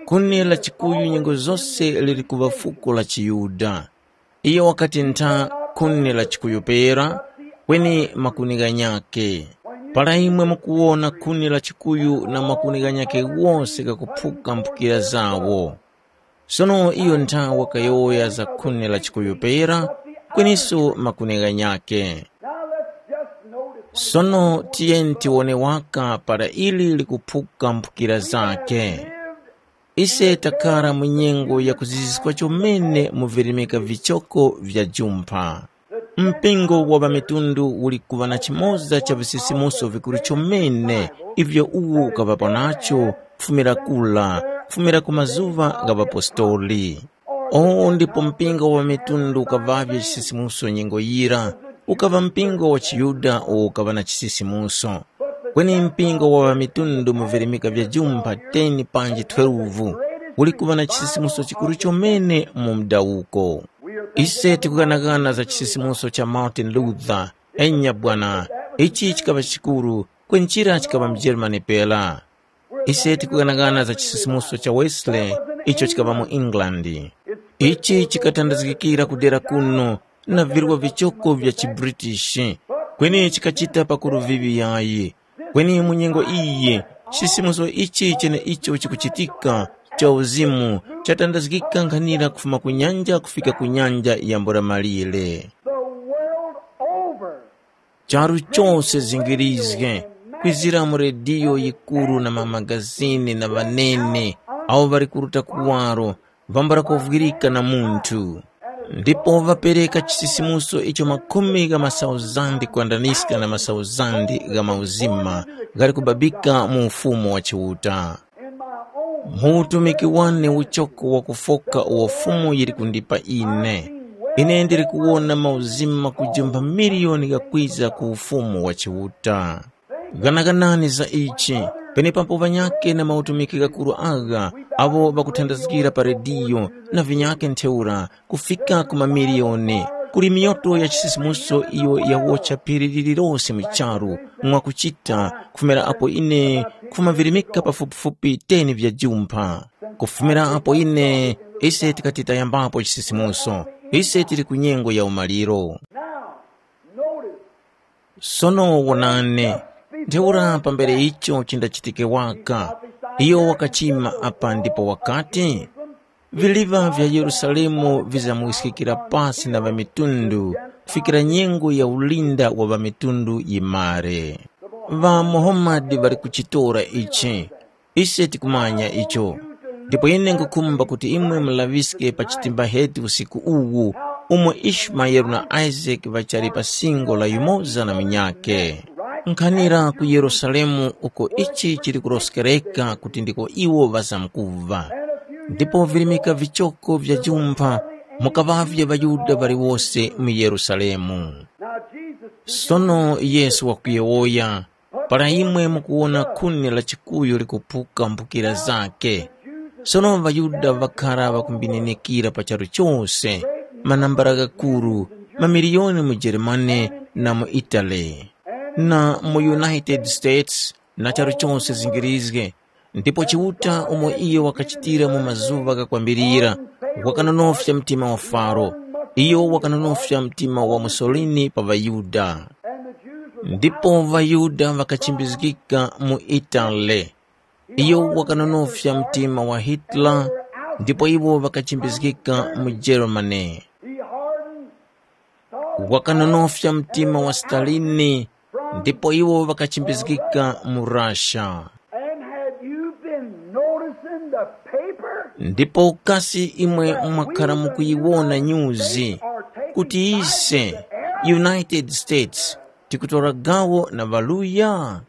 Khuni la chikuyu nyengo zose lili kuŵa fuko la chiYuda. Iyo wakati ntha khuni la chikuyu pera, kweni makuni ghanyakhe. Para imwe mukuwona khuni la chikuyu na makuni ghanyakhe wose ghakuphuka mphukira zawo. Sono iyo ntha wakayowoya za khuni la chikuyu pera, kweniso makuni ghanyakhe. Now let's just notice when sono tiyeni tiwone waka para ili likuphuka mphukira zake. Ise takhala mu nyengo ya kuziziska chomene mu virimika vichoko vya jumpha. Mpingo wa ŵamitundu uli kuŵa na chimoza cha visisimuso vikuru chomene ivyo uwo ukaŵapo nacho kufumira kula, kufumira ku mazuŵa gha ŵapostoli. O ndipo mpingo wa ŵamitundu ukaŵavye chisisimuso nyengo yira, ukaŵa mpingo wa chiYuda uwo ukaŵa na chisisimuso. Kweni mpingo wa ŵamitundu mu virimika vya jumpha teni panji twelve uli kuŵa na chisisimuso chikuru chomene mu mdawuko. Ise tikughanaghana za chisisimuso cha Martin Luther, enya bwana, ichi chikaŵa chikuru, kweni chira chikaŵa mJeremani pera. Ise tikughanaghana za chisisimuso cha Wesley icho chikaŵa mu England. Ichi chikatandazgikira kudera kuno na virwa vichoko vya chiBritish, kweni chikachita pakuru vivi yayi. Kweni mu nyengo iyi, chisisimuso ichi cheneicho chikuchitika cha uzimu chatandazgika nkhanira kufuma ku nyanja kufika ku nyanja ya mbura malire. The world over. Charu chose zingirizge, kwizira mu rediyo yikuru na mamagazini na ŵanene awo ŵali kuruta kuwaro, vambala kovwirika na munthu. Ndipo ŵapereka chisisimuso icho makhumi gha masauzandi kwandaniska na masauzandi gha mauzima ghali kubabika mu Ufumu wa Chiuta. Mu utumiki wane uchoko wakufoka uwo Fumu yili kundipa ine, ine ndili kuwona mauzima kujumba miliyoni ghakwiza ku Ufumu wa Chiuta. Ghanaganani za ichi, penepapo ŵanyakhe na mautumiki ghakuru agha awo ŵakuthandazgira pa rediyo na vinyakhe ntheura kufika ku mamiliyoni. Kuli miyoto ya chisisimuso iyo yawocha phiri lililose mu charu mwakuchita kufumira apo ine nkhumavirimika pafupifupi teni vya jumpha. Kufumira apo ine ise tikati tayambapo chisisimuso, ise tili ku nyengo ya umaliro. Now, notice. Sono wonani, ntheura pambere icho chindachitike waka, iyo wakachima apa ndipo wakati, viliva vya Yerusalemu vizamuwiskikira pasi na ŵamitundu kufikira nyengo ya ulinda wa ŵamitundu yimare. Ŵa Muhammad ŵali kuchitora ichi, ise tikumanya icho. Ndipo ine nkhukhumba kuti imwe mulaŵiske pa chitimbahetu usiku uwu, umo Ishmaele na Isake ŵachali pa singo la yumoza na munyakhe. Nkhanira ku Yerusalemu uko ichi chili kuroskereka kuti ndiko iwo ŵazamkuva. Ndipo virimika vichoko vya jumpha mukaŵavye ŵaYuda ŵaliwose mu Yerusalemu. Sono Yesu wakuyowoya, para imwe mukuwona khuni la chikuyu likuphuka mphukira zake. Sono ŵaYuda ŵakhara ŵakumbinenikira pa charu chose, manambala ghakuru, mamiliyoni mu Jeremani na mu Itali, na mu United States na charu chose zingirizge, Ndipo Chiuta umo iyo wakachitira mu mazuŵa ghakwambirira, wakanonofya mtima wa Faro. Iyo wakanonofya mtima wa Musolini pa ŵaYuda. Ndipo ŵaYuda ŵakachimbizgika mu Itale. Iyo wakanonofya mtima wa Hitler, ndipo iwo ŵakachimbizgika mu Germany. Wakanonofya mtima wa Stalini, ndipo iwo ŵakachimbizgika mu Russia. And have you been noticing the paper? Ndipo kasi imwe mwakhala mukuyiwona nyuzi kuti ise, United States, tikutora gawo na ŵaluya?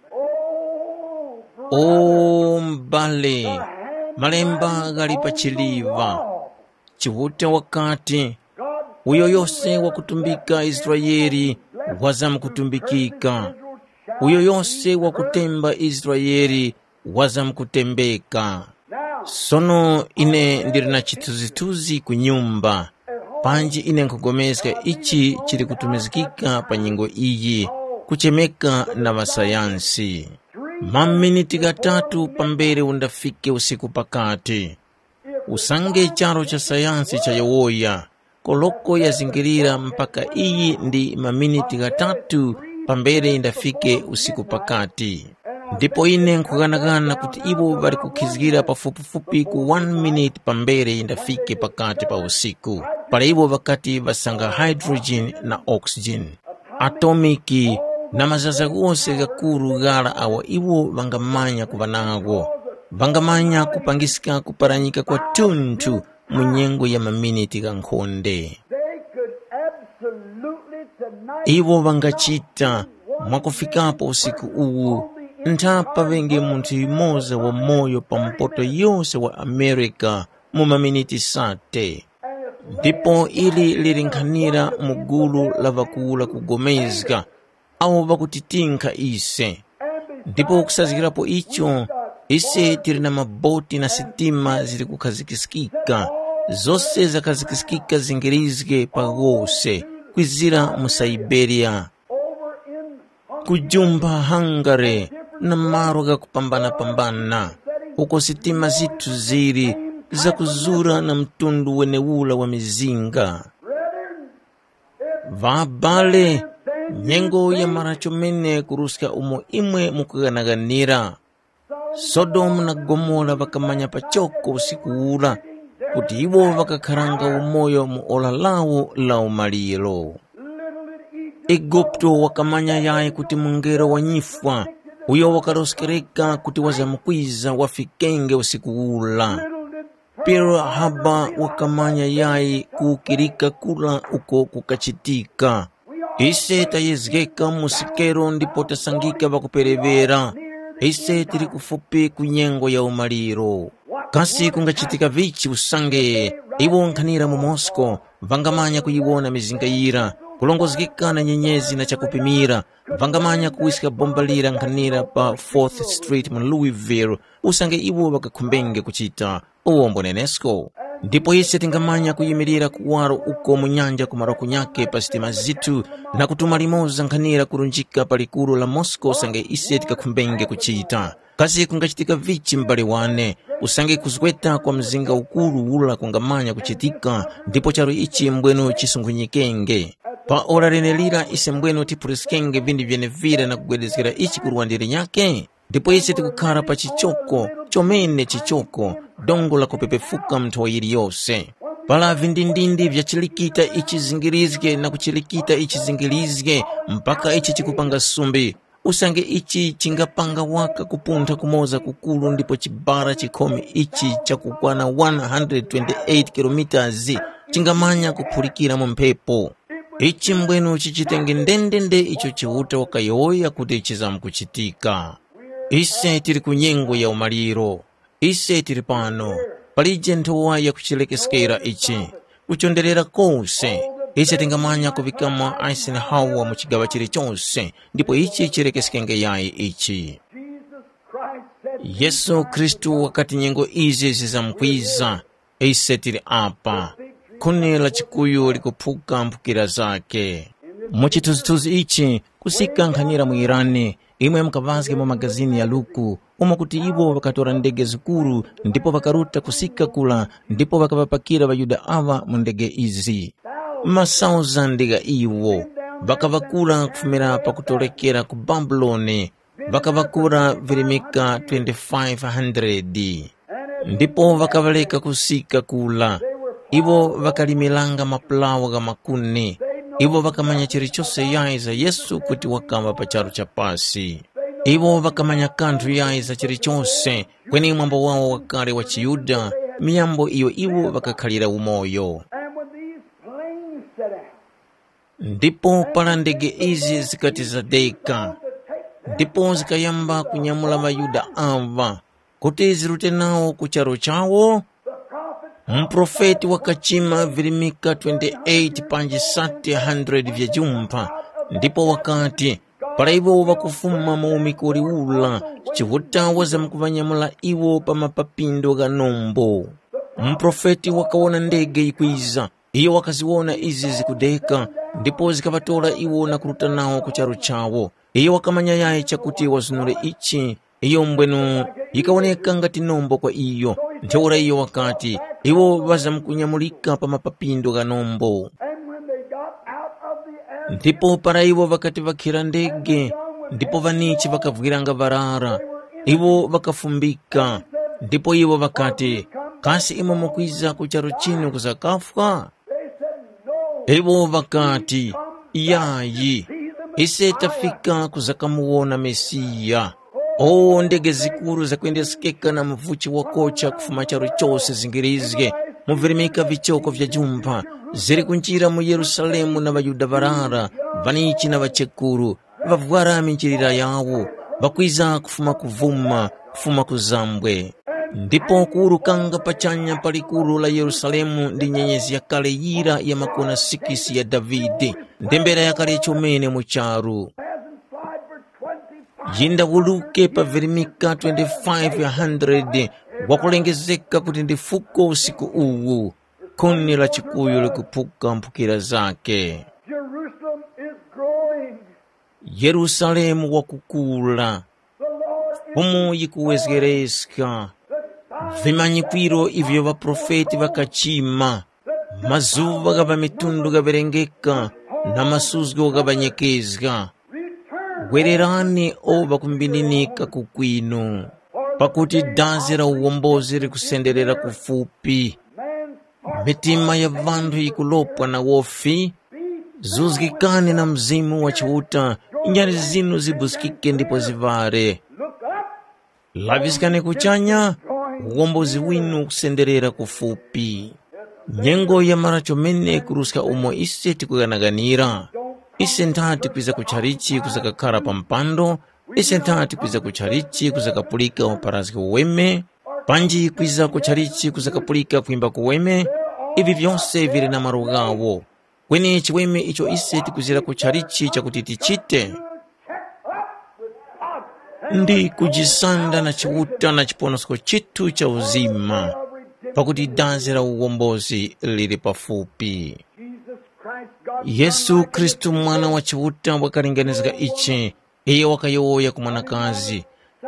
Oh, o m'bale, malemba ghali pa chiliva. Chiuta wakati, uyo yose wakutumbika Israele wazamkutumbikika, uyo yose wakutemba Israele wazamkutembeka. Sono ine ndili na chithunzithunzi ku nyumba, panji ine nkhupulikana ichi chili kutumizgika pa nyengo iyi, kuchemeka na ŵasayansi. Maminiti ghatatu pambere undafike usiku pakati. Usange charu cha sayansi chayowoya, koloko yazingirira mpaka iyi ndi maminiti ghatatu pambere yindafike usiku pakati. Ndipo ine nkhughanagana kuti iwo ŵali kukhizgira pafupifupi ku one minute pambere yindafike pakati pa usiku, para iwo ŵakati ŵasanga hydrogen na oxygen, atomiki, na mazaza ghose ghakuru ghara awo iwo ŵangamanya kuŵa nagho. Ŵangamanya kupangiska kuparanyika kwatunthu mu nyengo ya maminiti ghankhonde. They could absolutely tonight. Iwo ŵangachita mwakufikapo usiku uwu, ntha paŵenge munthu yumoza wamoyo pa mpoto yose wa Amerika mu maminiti sate. Ndipo ili lili nkhanira mu gulu la ŵakuwura kugomezga, awo ŵakutitinkha ise. Ndipo kusazgirapo icho, ise tili na maboti na sitima zili kukhazikiskika, zose zakhazikiskika zingirizge pa ghose, kwizira mu Saiberia, kujumba Hungary, na malo ghakupambanapambana, uko sitima zithu zili zakuzura na mtundu wenewura wa mizinga. Ŵabale, nyengo yamara chomene kuruska umo imwe mukughanaghanira. Sodomu na Gomora ŵakamanya pachoko usiku ura kuti iwo ŵakakharanga umoyo mu ora lawo la umaliro. Eguputo wakamanya yayi kuti mungelo wa nyifwa, uyo wakaroskereka kuti wazamkwiza wafikenge usiku ura. Pearl Harbor wakamanya yayi kuwukirika kura uko kukachitika. Ise tayezgeka mu sikero ndipo tasangika ŵakupereŵera. Ise tili kufupi ku nyengo ya umaliro. Kasi kungachitika vichi usange iwo nkhanira mu Moscow ŵangamanya kuyiwona mizinga yira, kulongozgeka na nyenyezi na chakupimira, ŵangamanya kuwiska bomba lira nkhanira pa Fourth Street mu Louisville, usange iwo ŵakakhumbenge kuchita uwo mbonenesko. Ndipo ise tingamanya kuyimirira kuwaro uko mu nyanja ku marokonya pa sitima zithu, na kutuma limoza nkhanira kurunjika pa likuru la Moscow usange ise tikakhumbenge kuchita. Kasi kungachitika vichi m'bale wane, usange kuzgweta kwa mzinga ukuru ura kungamanya kuchitika, ndipo charu ichi mbwenu chisunghunyikenge? Pa ora lenelira ise mbwenu tiphuliskenge vinthu vyenevira na kugwedezgera ichi ku luwande linyakhe? Ndipo ise tikukhara pa chichoko, chomene chichoko, dongo la kupepefuka mu nthowa yiliyose. Para vindindindi vya chilikita ichi zingirizge na kuchilikita ichi zingirizge, mpaka ichi chikupanga sumbi. Usange ichi chingapanga waka kupuntha kumoza kukuru ndipo chibara chikhome ichi chakukwana one hundred twenty-eight kilometres chingamanya kuphulikira mu mphepo. Ichi mbwenu chichitenge ndendende icho Chiuta wakayowoya kuti chizamkuchitika. Ise tili ku nyengo ya umaliro. Ise tili pano. Palije nthowa yakuchilekeskera ichi. Kuchonderera kose, ise tingamanya kuŵikamo Eisenhower mu chigaŵa chilichose, ndipo ichi chilekeskenge yayi ichi. Yesu Khristu wakati nyengo izi zizamkwiza, ise tili apa. Khuni la chikuyu likuphuka mphukira zakhe. Mu chithunzithunzi ichi, kusika nkhanira mu Irani, Imwe mukaŵazge mu magazini ya Luku, umo kuti iwo ŵakatora ndege zikuru ndipo ŵakaruta kusika kura ndipo ŵakaŵapakira ŵaYuda aŵa mu ndege izi. Masauzande gha iwo ŵakaŵakura kufumira pakutorekera ku Babuloni, ŵakaŵakura virimika twenty-five hundred. Ndipo ŵakaŵareka kusika kula. Iwo ŵakalimiranga mapulawo gha makuni. Iwo ŵakamanya chilichose yayi za Yesu kuti wakaŵa pa charu cha pasi. Iwo ŵakamanya kanthu yayi za chilichose, kweni mwambo wawo wakale wa chiYuda, miyambo iyo iwo ŵakakhalira umoyo. And when these planes set out, Ndipo para ndege izi zikati zadeka, ndipo zikayamba kunyamula ŵaYuda aŵa, kuti zirute nawo ku charu chawo? Muprofeti wakachima virimika twenty-eight panji sate hundred vya jumpha, ndipo wakati, para iwo ŵakufuma mu umikoli ura, Chiuta wazamkuŵanyamula iwo pa mapapindo gha nombo. Muprofeti wakawona ndege yikwiza, iyo wakaziwona izi zikudeka, ndipo zikaŵatora iwo na kuruta nawo ku charu chawo. Iyo wakamanya yayi chakuti wazunure ichi, iyo mbwenu yikawoneka ngati nombo kwa iyo. Ntheura iyo wakati, iwo ŵazamkunyamulika pa mapapindo gha nombo. And when they got out of the air, Ndipo para iwo ŵakati ŵakhira ndege, ndipo ŵanichi ŵakavwiranga ŵarara, iwo ŵakafumbika, ndipo iwo ŵakati, kasi imwe mukwiza ku charu chinu kuzakafwa? They said, no. Iwo ŵakati, yayi, ise tafika kuzakamuwona Mesiya. O ndege zikuru zakwendesekeka na muvuchi wakocha kufuma charu chose zingirizge, muvirimika vichoko vya jumpha, ziri kunjira mu Yerusalemu na ŵaYuda ŵarara, ŵanichi na ŵachekuru, ŵavwara minjilira yawo, ŵakwiza kufuma kuvuma, kufuma ku zambwe. Ndipo kuwurukanga pachanya pa likuru la Yerusalemu ndi nyenyezi yakale yira ya makona sikisi ya Davide, ndembera yakale chomene mu charu. Yindawuluke pa virimika twenty-five hundred wakulengezeka kuti ndi fuko usiku uwu, khuni la chikuyu likuphuka mphukira zake. Jerusalem is growing. Yerusalemu wakukula. The Lord is Fumu yikuwezgereska. Vimanyikwiro ivyo ŵaprofeti ŵakachima. Mazuŵa gha ŵamitundu ghaŵerengeka na masuzgo ghaŵanyekezga. Gwererani o ŵakumbininika ku kwinu, pakuti dazi la uwombozi likusenderera kufupi. Mitima ya ŵanthu yikulopa na wofi. Zuzgikani na Mzimu wa Chiuta, nyari zinu zibuskike ndipo ziŵare. Laŵiskani kuchanya, uwombozi winu ukusenderera kufupi. Nyengo yamara chomene kuruska umo ise tikughanaganira. Ise nthati kwiza ku chalichi kuzakakhara pa mpando, ise nthati kwiza ku chalichi kuzakapulika uparazgi uweme, panji kwiza ku chalichi kuzakapulika kwimba kuweme, ivi vyose vili na malo ghawo. Kweni chiweme icho ise tikwizira ku chalichi chakuti tichite, ndi kujisanda na Chiuta na chiponosko chithu cha uzima, pakuti dazi la uwombozi lili pafupi. Yesu Khristu, Mwana wa Chiuta, wakalinganizga ichi. Iyo wakayowoya ku mwanakazi,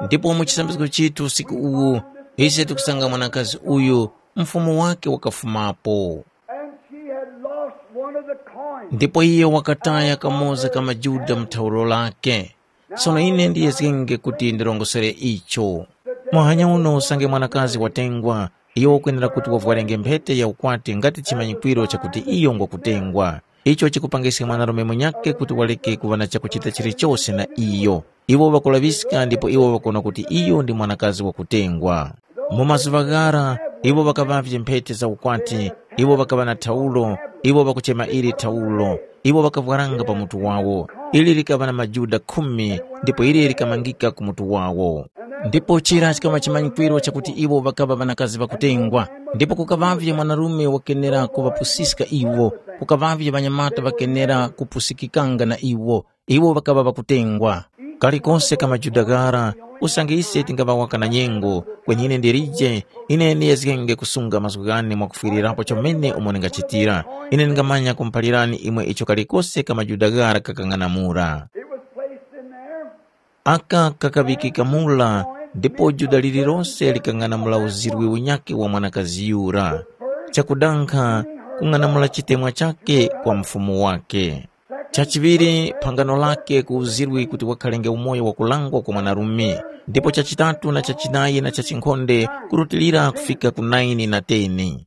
ndipo mu chisambizgo chithu usiku uwu, ise tikusanga mwanakazi uyu, mfumu wake wakafumapo. And she had lost one of the coins. Ndipo iye wakataya kamoza ka majuda mu thawulo lake. Sono ine ndiyezgenge kuti ndirongosere icho. Muhanya uno usange mwanakazi watengwa, iyo wakwenera kuti wavwarenge mphete ya ukwati ngati chimanyikwiro chakuti iyo ngwakutengwa. Icho chikupangiska mwanarume munyakhe kuti wareke kuŵa na chakuchita chilichose na iyo. Iwo ŵakulaŵiska ndipo iwo ŵakuwona kuti iyo ndi mwanakazi wakutengwa. Mu mazuŵa ghara, iwo ŵakaŵavye mphete za ukwati, iwo ŵakaŵa na thaulo, iwo ŵakuchema ili thaulo, iwo ŵakavwaranga pa mutu wawo. Ili likaŵa na majuda khumi ndipo ili likamangika ku mutu wawo. Ndipo chira chikaŵa chimanyikwiro chakuti iwo ŵakaŵa ŵanakazi ŵakutengwa, ndipo kukaŵavye mwanarume wakenera kuŵapusiska iwo, kukaŵavye ŵanyamata ŵakenera kupusikikanga na iwo, iwo ŵakaŵa ŵakutengwa. Kalikose ka majuda ghara, usange ise tingaŵa waka na nyengo, kweni ine ndilije, ine ndiyezgenge kusunga mazgu ghane mwakufwirirapo chomene umo ndingachitira. Ine ndingamanya kumuphalirani imwe icho kalikose ka majuda ghara kakang'anamula. It was placed in there. Aka kakaŵikika mura, ndipo Yuda lililose likang'anamula uzirwi unyakhe wa mwanakazi yura. Chakudankha, kung'anamula chitemwa chakhe kwa mfumu wakhe. Chachiŵiri, phangano lakhe ku uzirwi kuti wakhalenge umoyo wakulangwa kwa mwanarume, ndipo chachitatu na chachinayi na chachinkhonde kurutilira kufika ku naini na teni.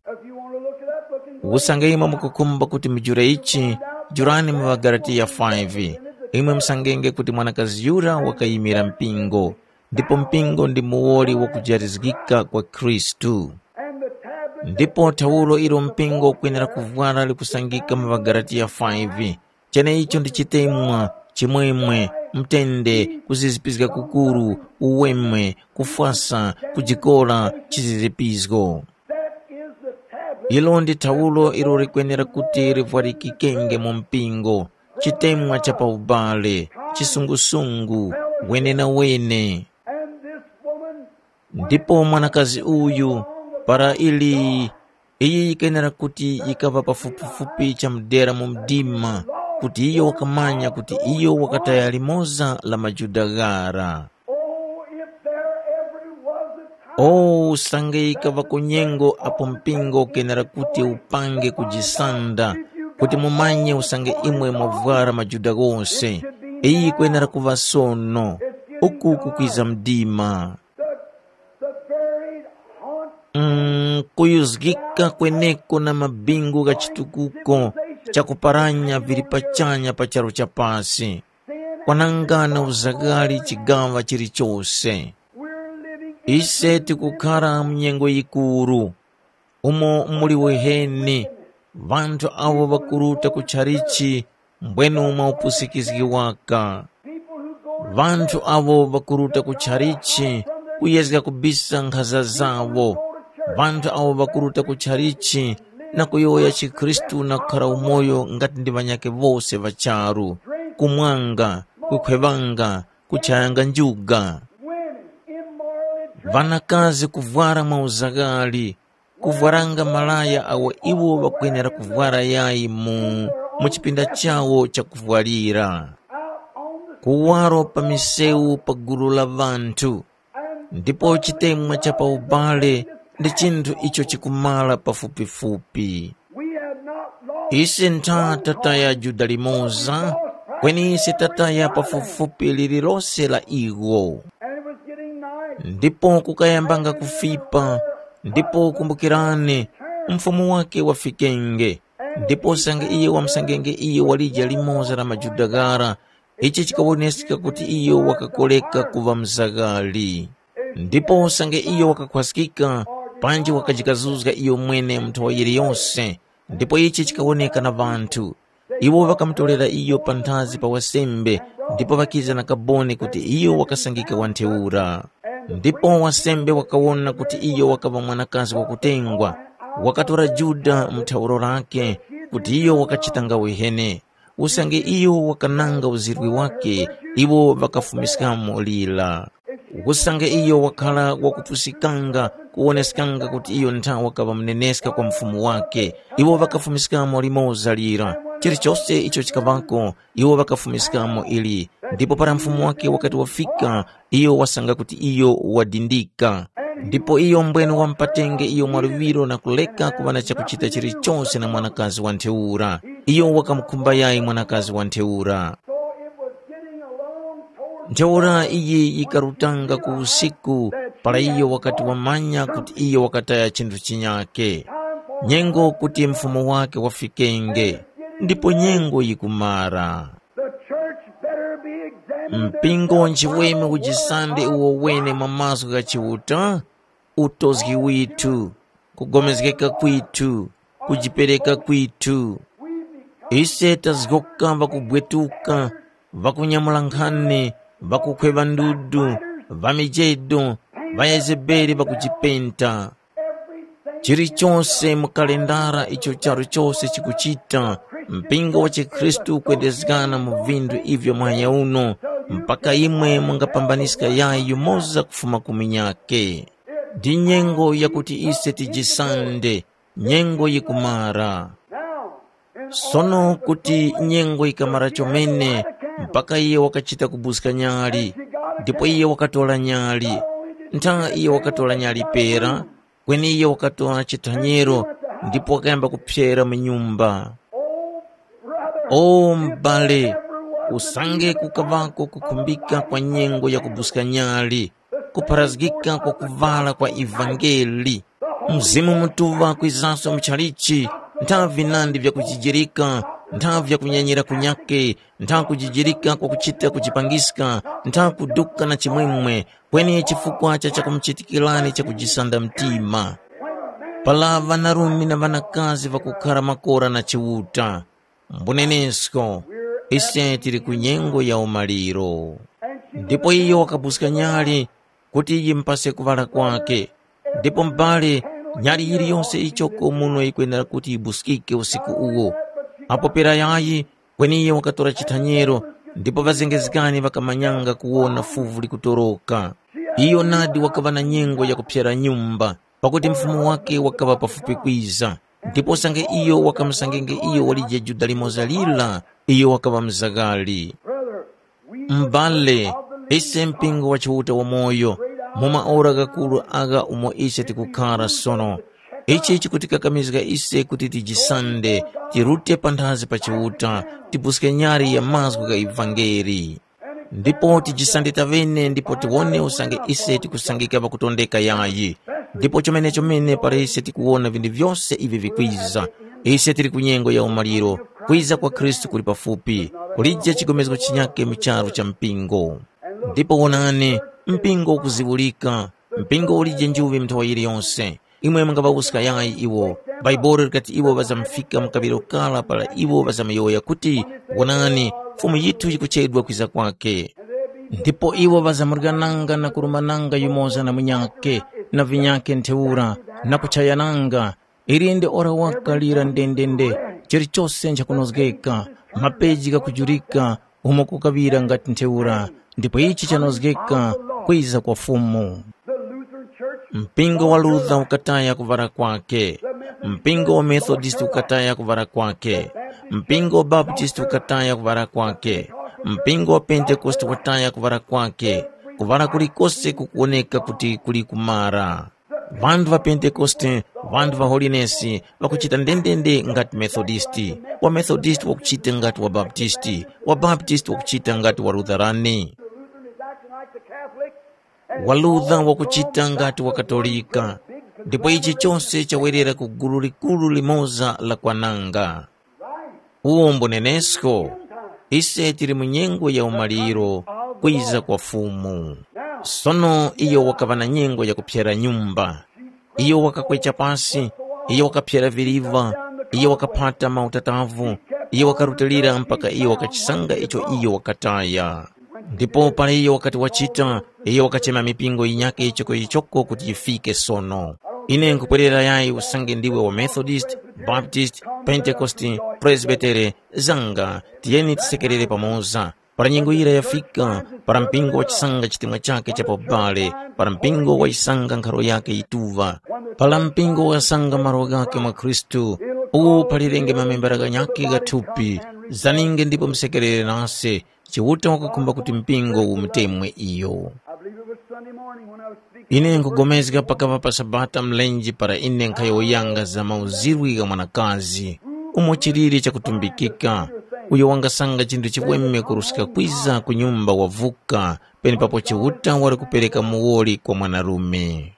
Usange imwe mukukhumba kuti mujule ichi, jurani mu ŵaGalatiya five. Imwe musangenge kuti mwanakazi yura wakayimira mpingo, ndipo mpingo ndi muwoli wakujarizgika kwa Khristu. Ndipo thawulo ilo mpingo ukwenera kuvwara likusangika mu ŵaGalatiya five. Cheneicho ndi chitemwa, chimwemwe, mtende, kuzizipizga kukuru, uweme, kufwasa, kujikora, chizizipizgo. Ilo ndi thawulo ilo likwenera kuti livwarikikenge mu mpingo, chitemwa cha pa ubale, chisungusungu, wenenawene. Ndipo mwanakazi uyu, para ili, iyi yikenera kuti yikaŵa pafupifupi chamudera mu mdima, kuti iyo wakamanya kuti iyo wakataya limoza la majuda ghara. Oh, if there ever was a time. Oh, usange yikaŵako nyengo apo mpingo ukenera kuti upange kujisanda, kuti mumanye usange imwe mwavwara majuda ghose, iyi yikwenera kuŵa sono, uku kukwiza mdima. The, the buried haunt. Mm, kuyuzgika kweneko na mabingu gha chitukuko chakuparanya vili pachanya pa charu cha pasi. Kwanangana uzaghali chigaŵa chilichose. Ise tikukhara mu nyengo yikuru, umo muli weheni, ŵanthu awo ŵakuruta ku chalichi mbwenu mwa upusikizgi waka. Ŵanthu awo ŵakuruta ku chalichi kuyezga kubisa nkhaza zawo. Ŵanthu awo ŵakuruta ku chalichi na kuyowoya chikhristu na kukhara umoyo ngati ndi ŵanyakhe wose ŵa charu, kumwanga, kukhweŵanga, kuchayanga njuga. Ŵanakazi kuvwara mwa uzaghali, kuvwaranga malaya awo iwo ŵakwenera kuvwara yayi mu, mu chipinda chawo chakuvwarira. Kuwaro pa misewu pa gulu la ŵanthu, ndipo chitemwa cha pa ubale ndi chinthu icho chikumala pafupifupi. Ise ntha tataya Yuda limoza, kweni ise tataya pafupifupi lililose la iwo. Ndipo kukayambanga kufipa, ndipo kumbukirani, mfumu wake wafikenge. Ndipo usange iye wamsangenge iyo walija limoza la majuda ghara, ichi chikawoneska kuti iyo wakakoreka kuŵa mzaghali. Ndipo usange iyo wakakhwaskika, panji wakajikazuzga iyo mwene mu nthowa yiliyose, ndipo ichi chikawoneka na ŵanthu. Iwo ŵakamutorera iyo panthazi pa wasembe, ndipo ŵakiza na kaboni kuti iyo wakasangika wa ntheura. Ndipo wasembe wakawona kuti iyo wakaŵa mwanakazi wakutengwa, wakatora Yuda mu thauro lake, kuti iyo wakachitanga wehene. Usange iyo wakananga uzirwi wake, iwo ŵakafumiskamo lira. Usange iyo wakhala wakupusikanga, kuwoneskanga kuti iyo ntha wakaŵa muneneska kwa mufumu wake, iwo ŵakafumiskamo limoza lira. Chilichose icho chikaŵako, iwo ŵakafumiskamo ili. Ndipo para mufumu wake wakati wafika, iyo wasanga kuti iyo wadindika. Ndipo iyo mbwene wamupatenge iyo mwaluŵiro na kuleka kuŵa na chakuchita chilichose na mwanakazi wa ntheura. Iyo wakamukhumba yayi mwanakazi wa ntheura. Ntheura iyi yikarutanga ku usiku, para iyo wakati wamanya kuti iyo wakataya chinthu chinyakhe. Nyengo kuti mfumu wake wafikenge, ndipo nyengo yikumara. The church better be examined. Mpingo nchiweme ujisande uwo wene mwa mazgu gha Chiuta, utozgi withu, kugomezgeka kwithu, kujipereka kwithu. Ise tazgoka ŵakubwetuka, ŵakunyamula nkhani, ŵakukhweŵa ndudu, ŵamijedo, ŵaYezebeli ŵakujipenta. Chilichose mu kalendara icho charu chose chikuchita, mpingo wa chikhristu ukwendezgana mu vinthu ivyo muhanya uno, mpaka imwe mungapambaniska yayi yumoza kufuma ku munyakhe. Ndi nyengo yakuti ise tijisande, nyengo yikumara. Sono kuti nyengo yikamara chomene, mpaka iyo wakachita kubuska nyali, ndipo iyo wakatora nyali. Ntha iyo wakatora nyali pera, kweni iyo wakatora chithanyero ndipo wakayamba kuphyera mu nyumba. O m'bale, usange kukaŵako kukhumbika kwa nyengo ya kubuska nyali, kupharazgika kwa kuvara kwa ivangeli, Mzimu Mutuŵa kwizanso mu chalichi, ntha vinandi vyakujijirika, ntha vyakunyanyira kunyakhe, ntha kujijirika kwakuchita kujipangiska, ntha kuduka na chimwemwe, kweni chifukwa cha chakumuchitikirani chakujisanda mtima. Para ŵanarume na ŵanakazi ŵakukhara makora na Chiuta, mbunenesko, ise tili ku nyengo ya umaliro. Ndipo iyo wakabuska nyali kuti yimupase kuŵala kwake. Ndipo m'bale, nyali yiliyose yichoko muno yikwenera kuti yibuskike usiku uwo. Apo pera yayi, kweni iyo wakatora chithanyero, ndipo ŵazengezgani ŵakamanyanga kuwona fuvu likutoroka. Iyo nadi wakaŵa na nyengo yakuphyera nyumba, pakuti mfumu wake wakaŵa pafupi kwiza. Ndipo usange iyo wakamusangenge iyo walije Yuda limoza lira, iyo wakaŵa mzaghali. M'bale, ise mpingo wa Chiuta wamoyo, mu maora ghakuru agha umo ise tikukhara sono, ichi chikutikakamizga ise kuti tijisande, tirute panthazi pa Chiuta, tipuske nyali ya mazgu gha ivangeli. Ndipo tijisande taŵene ndipo tiwone usange ise tikusangika pakutondeka yayi. Ndipo chomene-chomene para ise tikuwona vinthu vyose ivi vikwiza, ise tili ku nyengo ya umaliro, kwiza kwa Khristu kuli pafupi, kulije chigomezgo chinyakhe mu charu cha mpingo. Ndipo wonani, mpingo ukuziwurika, mpingo ulije njuŵi mu nthawa yiliyonse. Imwe mungaŵawuska yayi iwo. Bhaibuli likati iwo ŵazamufika mu kaŵiro kara para iwo ŵazamuyowoya kuti, “Wonani, Fumu yithu yikuchedwa kwiza kwakhe.” Ndipo iwo ŵazamuryananga na kurumananga yumoza na munyakhe, na vinyakhe ntheura, na kuchayananga. Ili ndi ora waka lira ndendende, chilichose nchakunozgeka, mapeji ghakujurika, umo kukaŵira ngati ntheura, ndipo ichi chanozgeka kwiza kwa Fumu. Mpingo wa Luther ukataya kuŵala kwakhe, mpingo wa Methodist ukataya kuŵala kwakhe, mpingo wa Baptist ukataya kuŵala kwakhe, mpingo wa Pentekoste wataya kuŵala kwakhe, kuŵala kulikose kukuwoneka kuti kuli kumara. Ŵanthu ŵa Pentekoste, ŵanthu ŵa Holinesi, ŵakuchita ndendende ngati Methodisti, wa Methodisti wakuchita ngati wa Baptisti, wa Baptisti wakuchita ngati wa Lutherani. The Lutheran is acting like the Catholic, and it's Walutha wakuchita ngati wa Katolika, ndipo ichi chose chawerera ku gulu likuru limoza la kwananga. Uwo mbunenesko, ise tili mu nyengo ya umaliro, kwiza kwa Fumu. Sono iyo wakaŵa na nyengo yakuphyera nyumba. Iyo wakakwecha pasi, iyo wakaphyera viriva, iyo wakaphata mautatavu, iyo wakarutilira mpaka iyo wakachisanga icho iyo wakataya. Ndipo para iyo wakati wachita, iyo wakachema mipingo yinyakhe ichoko ichoko kuti yifike sono. Ine nkupwerera yayi usange ndiwe wa Methodist, Baptist, Pentekoste, Presbytere, zanga, tiyeni tisekerere pamoza. Para nyengo yira yafika, para mpingo wachisanga chitemwa chakhe cha pabale, para mpingo wayisanga nkharo yakhe yituŵa, para mpingo wasanga malo ghakhe mwa Khristu, uwo palirenge mamembera ghanyakhe gha thupi, zaninge ndipo musekerere nase, Chiuta wakakhumba kuti mpingo umutemwe iyo. I believe it was Sunday morning when I was speaking. Ine nkugomezga pakava pa Sabata mlenje para ine nkhayowoyanga za mauzirwi gha mwanakazi, umo chilili chakutumbikika, uyo wangasanga chinthu chiweme kuruska kwiza ku nyumba wavuka, penepapo Chiuta wali kupereka muwoli kwa mwanarume.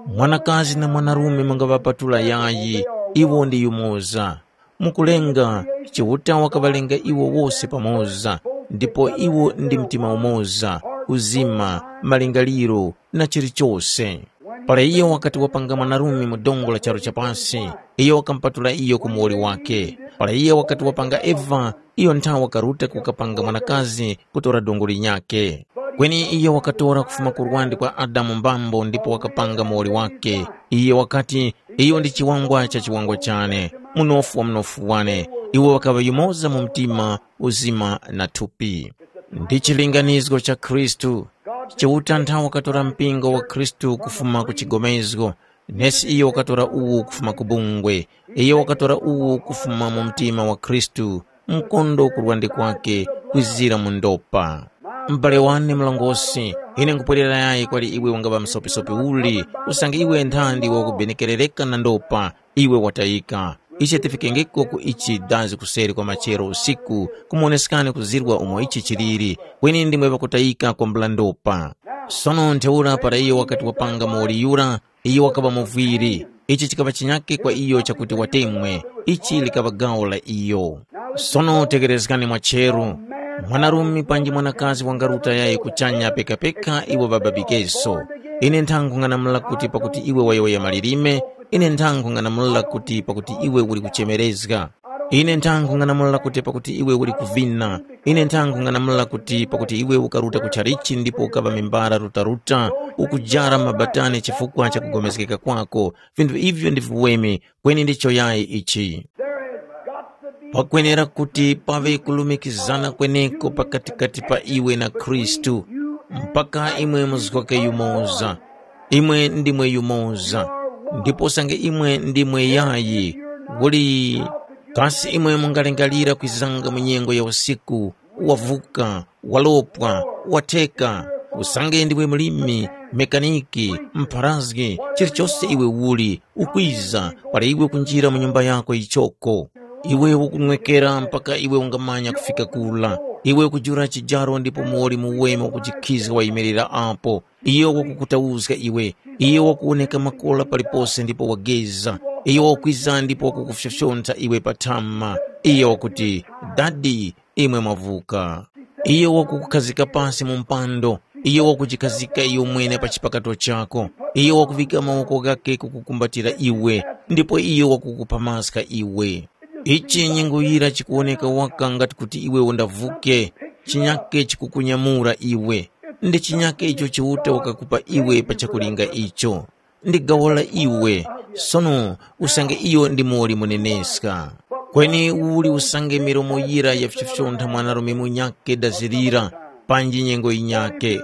Mwanakazi na mwanarume mungaŵapatula yayi, iwo ndi yumoza. Mukulenga, Chiuta wakaŵalenga iwo wose pamoza, ndipo iwo ndi mtima umoza, uzima, malingaliro, na chilichose. Para iyo wakati wapanga mwanarume mu dongo la charu cha pasi, iyo wakamupatula iyo ku muwoli wakhe. Para iyo wakati wapanga Eva, iyo nthawe wakaruta kukapanga mwanakazi kutora dongo linyakhe. Kweni iyo wakatora kufuma ku lwande kwa Adamu mbambo ndipo wakapanga muwoli wakhe. Iyo wakati, iyo ndi chiwangwa cha chiwangwa chane, munofu wa munofu wane. Iwo ŵakaŵa yumoza mu mtima, uzima na thupi. Ndi chilinganizo cha Khristu. Chiuta nthawe wakatora mpingo wa Khristu kufuma ku chigomezgo, nesi iyo wakatora uwu kufuma ku bungwe. Iyo wakatora uwu kufuma mu mtima wa Khristu, mkondo ku lwande kwake kwizira mu ndopa. M'bale wane murongozgi, ine nkhupwerera yayi kwali iwe ungaŵa msopisopi uli, usange iwe nthandi wakubenekerereka na ndopa, iwe watayika. Ichi tifikengeko ku ichi dazi kuseri kwa machero usiku, kumoneskani kuzirwa umo ichi chiliri, kweni ndimwe ŵakutayika kwambula ndopa. Sono ntheura para iyo wakati wapanga muwoli yura, iyo wakaŵa muvwiri. Ichi chikaŵa chinyake kwa iyo chakuti watemwe, ichi likaŵa gawo la iyo. Sono tegherezgani mwacheru. Mwanarume panji mwanakazi wangaruta yayi kuchanya pekapeka iwo ŵababikeso. Ine nthangung'anamula kuti pakuti iwe wayowoya malilime, ine nthangung'anamula kuti pakuti iwe uli kuchemerezga. Ine nthangung'anamula kuti pakuti iwe uli kuvina. Ine nthangung'anamula kuti pakuti iwe ukaruta ku chalichi ndipo ukaŵa mimbara rutaruta, ukujara mabatani chifukwa cha kugomezgeka kwako, vinthu ivyo ndi viweme, kweni ndicho yayi ichi. Pakwenera kuti paŵe kulumikizana kweneko pakatikati pa iwe na Khristu, mpaka imwe muzgoke yumoza. Imwe ndimwe yumoza. Ndipo usange imwe ndimwe yayi, uli kasi imwe mungalingalira kwizanga mu nyengo ya usiku, wavuka, walopwa, watheka, usange ndiwe mlimi, mekaniki, mpharazgi, chilichose iwe uli, ukwiza, para iwe kunjira mu nyumba yako yichoko. Iwe ukunwekera mpaka iwe ungamanya kufika kula. Iwe ukujula chijaro ndipo muwoli muweme wakujikhizga wayimirira apo. Iyo wakukutauzga iwe. Iyo wakuwoneka makora palipose ndipo wageza. Iyo wakwiza ndipo wakukufyofyontha iwe pa thama. Iyo wakuti, Dadi, imwe mwavuka. Iyo wakukukhazika pasi mu mpando. Iyo wakujikhazika iyo mwene pa chipakato chako. Iyo wakuvika mawoko ghakhe kukukumbatira iwe, ndipo iyo wakukupamaska iwe. Ichi nyengo yira chikuwoneka waka ngati kuti iwe undavuke, chinyake chikukunyamura iwe. Ndi chinyake icho Chiuta wakakupa iwe pa chakulinga icho. Ndi gawo la iwe, sono usange iyo ndi muwoli muneneska. Kweni uli usange milomo yira yafyofyontha mwanarume munyakhe dazi lira, panji nyengo yinyakhe.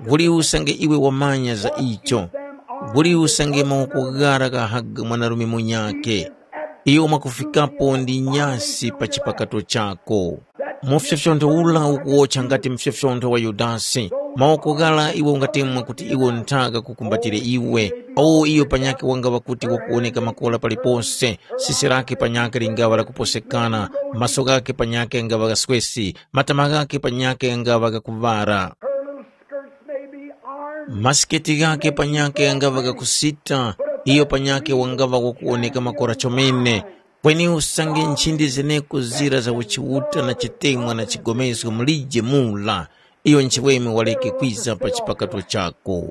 Uli usange iwe wamanya za icho. Uli usange mawoko ghara ghahaga mwanarume munyakhe. Iyo mwakufikapo ndi nyasi pa chipakato chako. Mufyofyontho ula ukuwotcha ngati mufyofyontho wa Yudasi. Mawoko ghara iwe ungatemwa kuti iwo nthaka kukumbatire iwe. Awo iyo panyakhe wangaŵa kuti wakuwoneka makora palipose, sisi lakhe panyakhe lingaŵa lakuposekana, maso ghakhe panyakhe ghangaŵa ghaswesi, matama ghakhe panyakhe ghangaŵa ghakuŵara. Masiketi ghakhe panyakhe ghangaŵa ghakusita, iyo panyakhe wangaŵa wakuwoneka makora chomene. Kweni usange nchindi zeneko zira za uchiuta na chitemwa na chigomezgo mulije mula, iyo nchiweme waleke kwiza pa chipakato chako.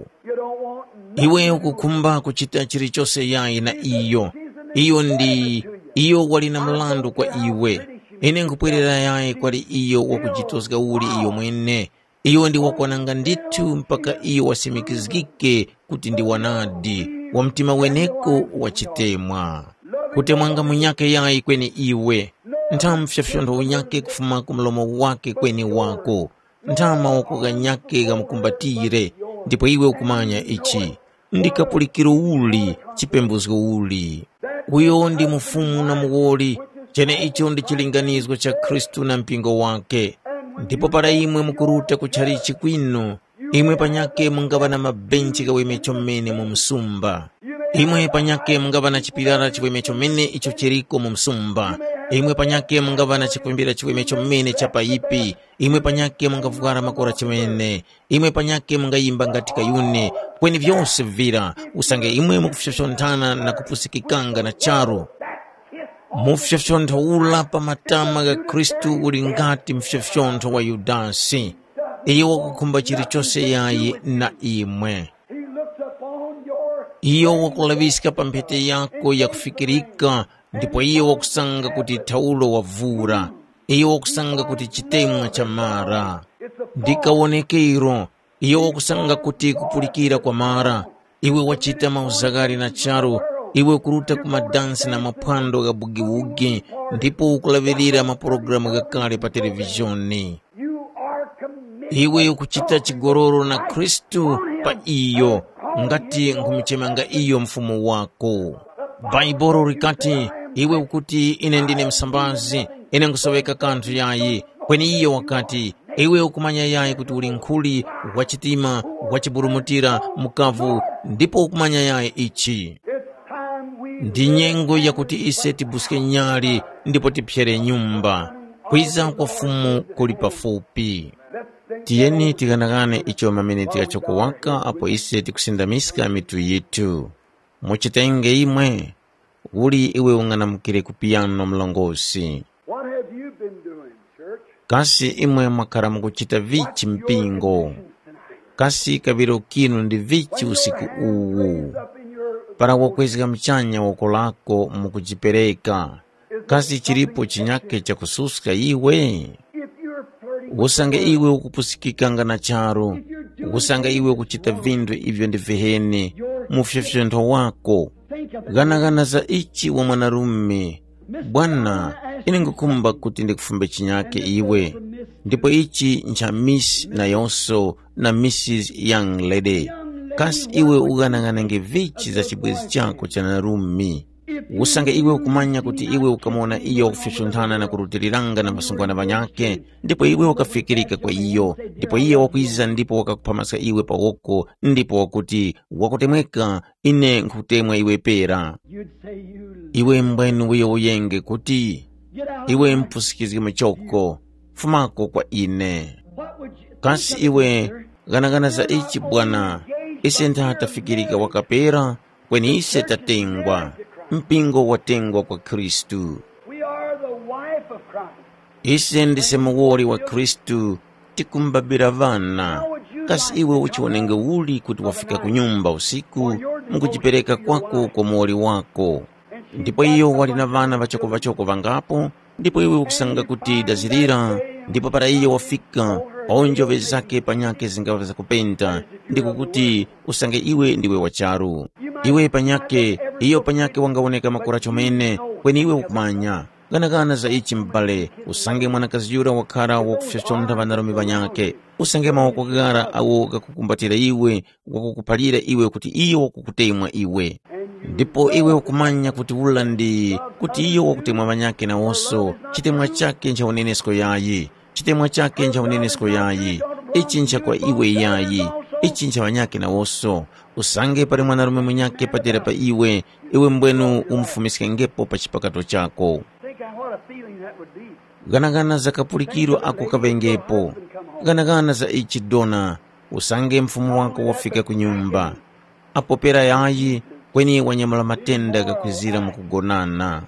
Iwe ukukhumba kuchita chilichose yayi na iyo. Iyo ndi, iyo wali na mrandu kwa iwe. Ine nkhupwerera yayi kwali iyo wakujitozga uli iyo mwene. Iyo ndi wakwananga ndithu mpaka iyo wasimikizgike kuti ndi wanadi, wa mtima weneko wa chitemwa. Kutemwanga munyakhe yayi kweni iwe, ntha mfyofyontho unyakhe kufuma ku mlomo wakhe kweni wako, ntha mawoko ghanyakhe ghamukumbatire, ndipo iwe ukumanya ichi. Ndi kapulikiro uli, chipembuzgo uli. Uyo ndi mufumu na muwoli, cheneicho ndi chilinganizo cha Khristu na mpingo wakhe. Ndipo para imwe mukuruta ku chalichi kwinu, imwe panyakhe mungaŵa na mabenchi ghaweme chomene mu msumba. Imwe panyakhe mungaŵa na chipirara chiweme chomene icho chiriko mu msumba. Imwe panyakhe mungaŵa na chikwimbira chiweme chomene cha payipi. Imwe panyakhe mungavwara makora chomene. Imwe panyakhe mungayimba ngati kayuni, kweni vyose vira, usange imwe mukufyofyonthana na kupusikikanga na charu. Mufyofyontho ula pa matama gha Khristu uli ngati mfyofyontho wa Yudasi. Iyo wakukhumba chilichose yayi na imwe. Iyo wakulaŵiska pa mphete yako yakufikirika, ndipo iyo wakusanga kuti thaulo wavura. Iyo wakusanga kuti chitemwa chamara. Ndi kawonekero, iyo wakusanga kuti kupulikira kwamara. Iwe wachita mauzaghali na charu, iwe ukuruta ku madansi na maphwando gha bugiwugi, ndipo ukulaŵirira mapulogalamu ghakale pa televizhoni. Iwe ukuchita chigololo na Khristu pa iyo, ngati nkhumuchemanga iyo Mfumu wako. Bhaibuli likati, Iwe ukuti, ine ndine msambazi, ine nkhusoweka kanthu yayi. Kweni iyo wakati, iwe ukumanya yayi kuti uli nkhuli, wachitima, wachiburumutira, mukavu, ndipo ukumanya yayi ichi. Ndi nyengo yakuti ise tibuske nyali ndipo tiphyere nyumba. Kwiza kwa Fumu kuli pafupi. Tiyeni tighanagane icho mamene tikachoko waka apo ise tikusindamiska mitu yithu. Muchitenge imwe, uli iwe ung'anamukire ku piyano mlongosi? What have you been doing, church? Kasi imwe mwakhara mukuchita vichi mpingo? Kasi kaŵiro kinu ndi vichi usiku uwu? Para wakwezga muchanya woko lako mukujipereka, kasi chilipo chinyakhe chakususka iwe? Usange iwe ukupusikikanga na charu, usange iwe ukuchita vinthu ivyo ndi viheni, mufyofyontho wako. Ghanaghana za ichi wa mwanarume. Bwana, ine ngukhumba kuti ndikufumbe chinyake iwe. Ndipo ichi ncha Miss nayonso na Missus Young Lady. Kasi iwe ughanaghanenge vichi za chibwezi chako cha narume? Usange iwe ukumanya kuti iwe ukamuwona iyo wakufyofyonthana na kurutiliranga na masungwana ghanyakhe, ndipo iwe wakafikirika kwa iyo, ndipo iyo wakwiza ndipo wakakuphamaska iwe pa woko, ndipo wakuti, wakutemweka, ine nkhukutemwa iwe pera. You'd say you Iwe mbwenu wiyo uyenge kuti, get out iwe of my mpusikizge muchoko, fumako kwa ine. What would you Kasi think of iwe, it, sir? Ghanagana za ichi bwana, ise ntha tafikirika wakapera, kweni ise tatengwa, mpingo watengwa kwa Khristu. We are the wife of Christ. Ise ndise muwoli wa Khristu, tikumbabira ŵana. Kasi iwe uchiwonenge uli kuti wafika ku nyumba usiku, mukujipereka kwako kwa muwoli wako? Ndipo iyo wali na ŵana ŵachoko-ŵachoko ŵangapo, ndipo iwe ukusanga kuti dazirira, ndipo para iyo wafika, onjoŵe zake panyakhe zingaŵa zakupenta, ndiko kuti usange iwe ndiwe wa charu. Iwe panyakhe, iyo panyakhe wangawoneka makora chomene, kweni iwe ukumanya. Ghanagana za ichi m'bale, usange mwanakazi yura wakhara wakufyofyontha ŵanarume ŵanyakhe, usange mawoko ghara agho ghakukumbatira iwe, wakukuphalira iwe kuti iyo wakukutemwa iwe. Ndipo iwe ukumanya kuti ula ndi kuti iyo wakutemwa ŵanyakhe nawoso, chitemwa chakhe ncha unenesko yayi. Chitemwa chakhe ncha unenesko yayi. Ichi ncha kwa iwe yayi. Ichi ncha ŵanyakhe nawoso. Usange pali mwanarume munyakhe patera pa iwe, iwe mbwenu umufumiskengepo pa chipakato chako. Think of what a feeling that would be. Ghanagana za kapulikiro ako kaŵengepo. Ghanagana za ichi dona, usange mfumu wako wafika ku nyumba. Apo pera yayi, kweni wanyamula matenda ghakwizira mu kugonana.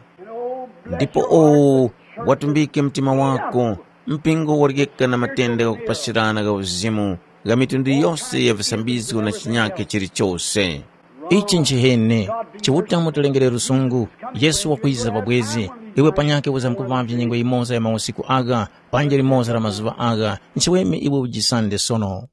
Ndipo owu, watumbike mtima wako, mpingo waryeka na matenda ghakupachirana gha uzimu, gha mitundu yose ya visambizgo na chinyakhe chilichose. Ichi nchiheni, Chiuta wamutilengere lusungu, Yesu wakwiza pabwezi, iwe panyakhe wizamkuvavye nyengo yimoza ya mausiku agha, panja limoza la mazuŵa agha, nchiweme iwe ujisande sono.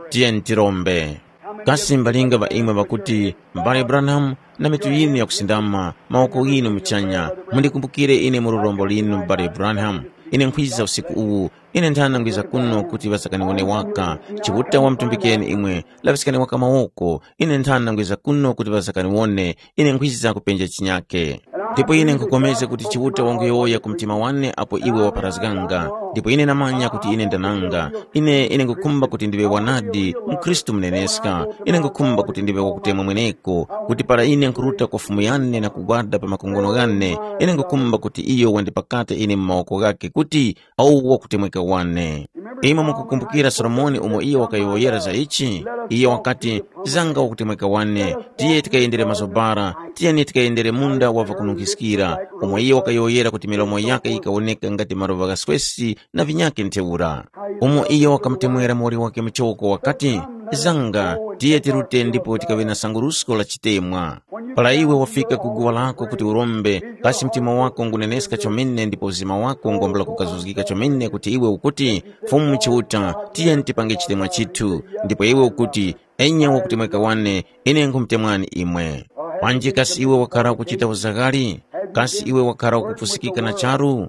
Tiyeni tirombe. Kasi mbalinga ŵa imwe ŵakuti, M'bale Branham, na mitu yinu yakusindama, mawoko ghinu muchanya, mundikumbukire ine mu lurombo linu, M'bale Branham. Ine nkhwiza usiku uwu, ine nthana ngwiza kuno kuti ŵasakaniwone waka. Chiuta wamutumbikeni imwe, laŵiskani waka mawoko, ine nthana ngwiza kuno kuti ŵasakaniwone, ine nkhwiza kupenja chinyake. Ndipo ine nkhupulikana kuti Chiuta wanguyowoya ku mtima wane apo iwe wapharazganga, ndipo ine namanya kuti ine ndananga. Ine, ine nkhukhumba kuti ndiŵe wanadi, mkhristu muneneska. Ine nkhukhumba kuti ndiŵe wakutemwa mweneko, kuti para ine nkhuruta kwa Fumu yane na kugwada pa makongono ghane, ine nkhukhumba kuti iyo wandipakate ine mu mawoko ghakhe kuti, awu wakutemweka wane. Imwe mukukumbukira Solomoni umo iyo wakayowoyera za ichi? Iyo wakati, zanga wakutemweka wane, tiye tikayendere mazobara, tiyeni tikayendere munda wa vakununkhiskira, umo iyo wakayowoyera kuti milomo yake yikawoneka ngati maluva gha swesi na vinyakhe ntheura. Umo iyo wakamutemwera muwoli wake muchoko wakati, zanga, tiye tirute ndipo tikaŵe na sangurusko la chitemwa. Para iwe wafika ku guwa lako kuti urombe, kasi mtima wako nguneneska chomene ndipo mzima wako ngwambula kukazuzgika chomene kuti iwe ukuti, Fumu Chiuta, tiyeni tipange chitemwa chithu, ndipo iwe ukuti, enya wakutemweka wane, ine nkhumutemwani imwe. Panji kasi iwe wakhara ukuchita uzaghali? Kasi iwe wakhara ukupusikika na charu?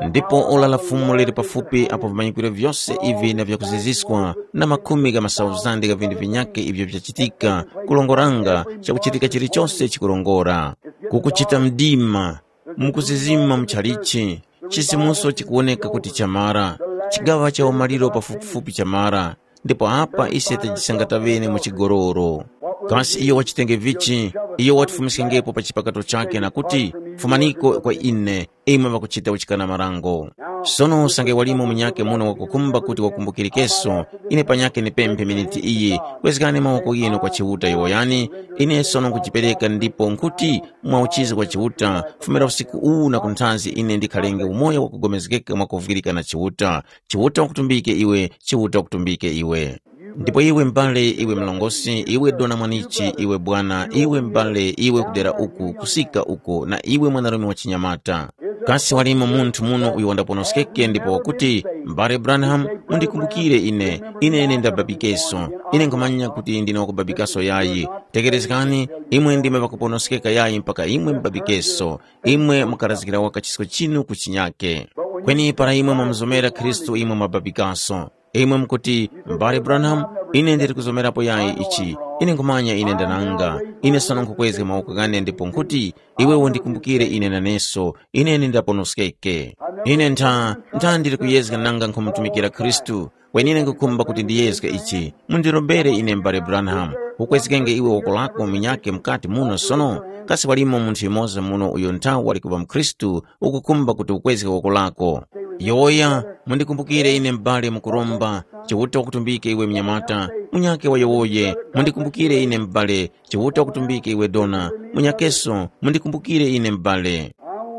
Ndipo ora la Fumu lili pafupi apo vimanyikwiro vyose ivi na vyakuziziska na makhumi gha masauzande gha vinthu vinyakhe ivyo vyachitika, kulongoranga chakuchitika chilichose chikurongora. Kukuchita mdima, mukuzizima muchalichi, chisimuso chikuwoneka kuti chamara, chigaŵa cha umaliro pafupifupi chamara, ndipo apa ise tajisanga taŵene mu chigoloro. Kasi iyo wachitenge vichi? Iyo watifumiskengepo pa chipakato chakhe na kuti, fumaniko kwa ine, imwe ŵakuchita uchikana marango. Sono usange walimo munyakhe muno wakukhumba kuti wakumbukirikeso, ine panyakhe nipemphe miniti iyi, kwezgani mawoko ghinu kwa Chiuta yowoyani, ine sono nkujipereka ndipo nkuti mwa uchizi kwa Chiuta, fumira usiku uwu na kunthazi ine ndikhalenge umoyo wakugomezgeka mwakuvwirika na Chiuta. Chiuta wakutumbike iwe, Chiuta wakutumbike iwe. Ndipo iwe m'bale, iwe mlongosi, iwe dona mwanichi, iwe bwana, iwe m'bale, iwe kudera uku, kusika uko, na iwe mwanarume wa chinyamata. Kasi walimo munthu muno uyo wandaponoskeke ndipo wakuti, M'bale Branham, mundikumbukire ine, ine ine ndababikeso. Ine nkhumanya kuti ndine wakubabikaso yayi. Tekerezgani, imwe ndime ŵakuponoskeka yayi mpaka imwe mubabikeso. Imwe mukarazgira waka chisko chinu ku chinyake. Kweni para imwe mwamuzomera Khristu imwe mwababikaso. Imwe mukuti, M'bale Branham, ine ndili kuzomerapo yayi ichi. Ine nkhumanya ine ndananga. Ine sono nkhukwezga mawoko ghane ndipo nkhuti, iwe undikumbukire ine naneso, ine ndaponoskeke. Ine ntha, ntha ndili kuyezga nanga nkhumutumikira Khristu, kweni ine nkhukhumba kuti ndiyezge ichi. Mundirombere ine m'bale Branham, ukwezgenge iwe woko lako munyakhe mukati muno sono? Kasi walimo munthu yumoza muno uyo nthawi wali kuŵa mukhristu ukukhumba kuti ukwezge woko lako? Yowoya, mundikumbukire ine m'bale mukuromba, Chiuta wakutumbike iwe mnyamata, munyakhe wayowoye, mundikumbukire ine m'bale, Chiuta wakutumbike iwe dona, munyakeso, mundikumbukire ine m'bale.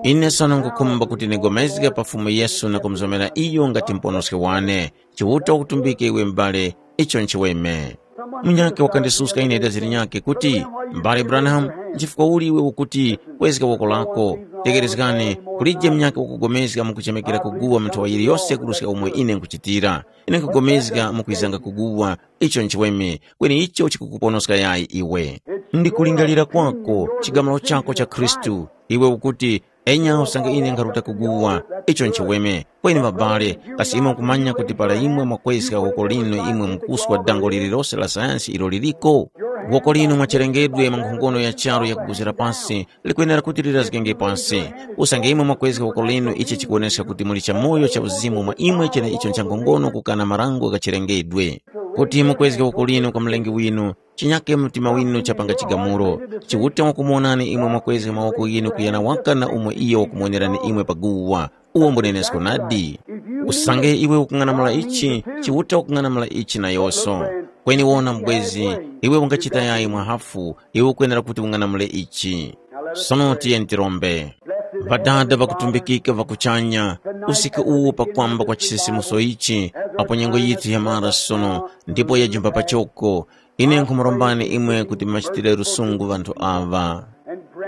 Ine sono nkhukhumba kuti ndigomezge pa Fumu Yesu na kumuzomera iyo ngati muponoski wane. Chiuta wakutumbike iwe m'bale, icho nchiweme. Munyakhe wakandisuska ine dazi linyakhe kuti, m'bale Branham, nchifukwa uli iwe ukuti kwezga woko lako? Tekerezgani, kulije munyakhe wakugomezga mukuchemekera kuguwa mu nthowa yiliyose kuruska umo ine nkuchitira. Ine nkupulikana mukwizanga kuguwa, icho nchiweme, kweni icho chikukuponoska yayi iwe. Ndi kulingalira kwako, chigamulo chako cha Khristu, iwe ukuti, enya usange ine nkharuta kuguwa, icho nchiweme. Kweni ŵabale, kasi imwe mukumanya kuti para imwe mwakwezga woko linu imwe mukuswa dango lililose la sayansi ilo liliko? Woko linu mwachelengedwe mwa nkhongono ya charu yakuguzira pasi, likwenera kuti lirazgenge pasi. Usange imwe mwakwezga woko linu ichi chikuwoneska kuti muli chamoyo cha uzimu mwa imwe cheneicho nchankhongono kukana marango ghachilengedwe. Kuti mukwezge woko linu kwa Mlengi winu, chinyake mtima winu chapanga chigamulo. Chiuta wakumuwonani imwe mwakwezga mawoko ghinu kuyana waka na umo iyo wakumuwonerani imwe paguwa. Uwo mbunenesko nadi. Usange iwe ukung'anamula ichi, Chiuta ukung'anamula ichi nayoso. Kweni wona mubwezi, iwe ungachita yayi mwa hafu, iwe ukwenera kuti ung'anamule ichi. Sono tiyeni tirombe. Ŵadada ŵakutumbikika ŵa kuchanya, usiku uwu pakwamba kwa chisisimuso ichi, apo nyengo yithu yamara sono, ndipo yajumba pachoko, ine nkhumurombani imwe kuti mumachitire lusungu ŵanthu aŵa.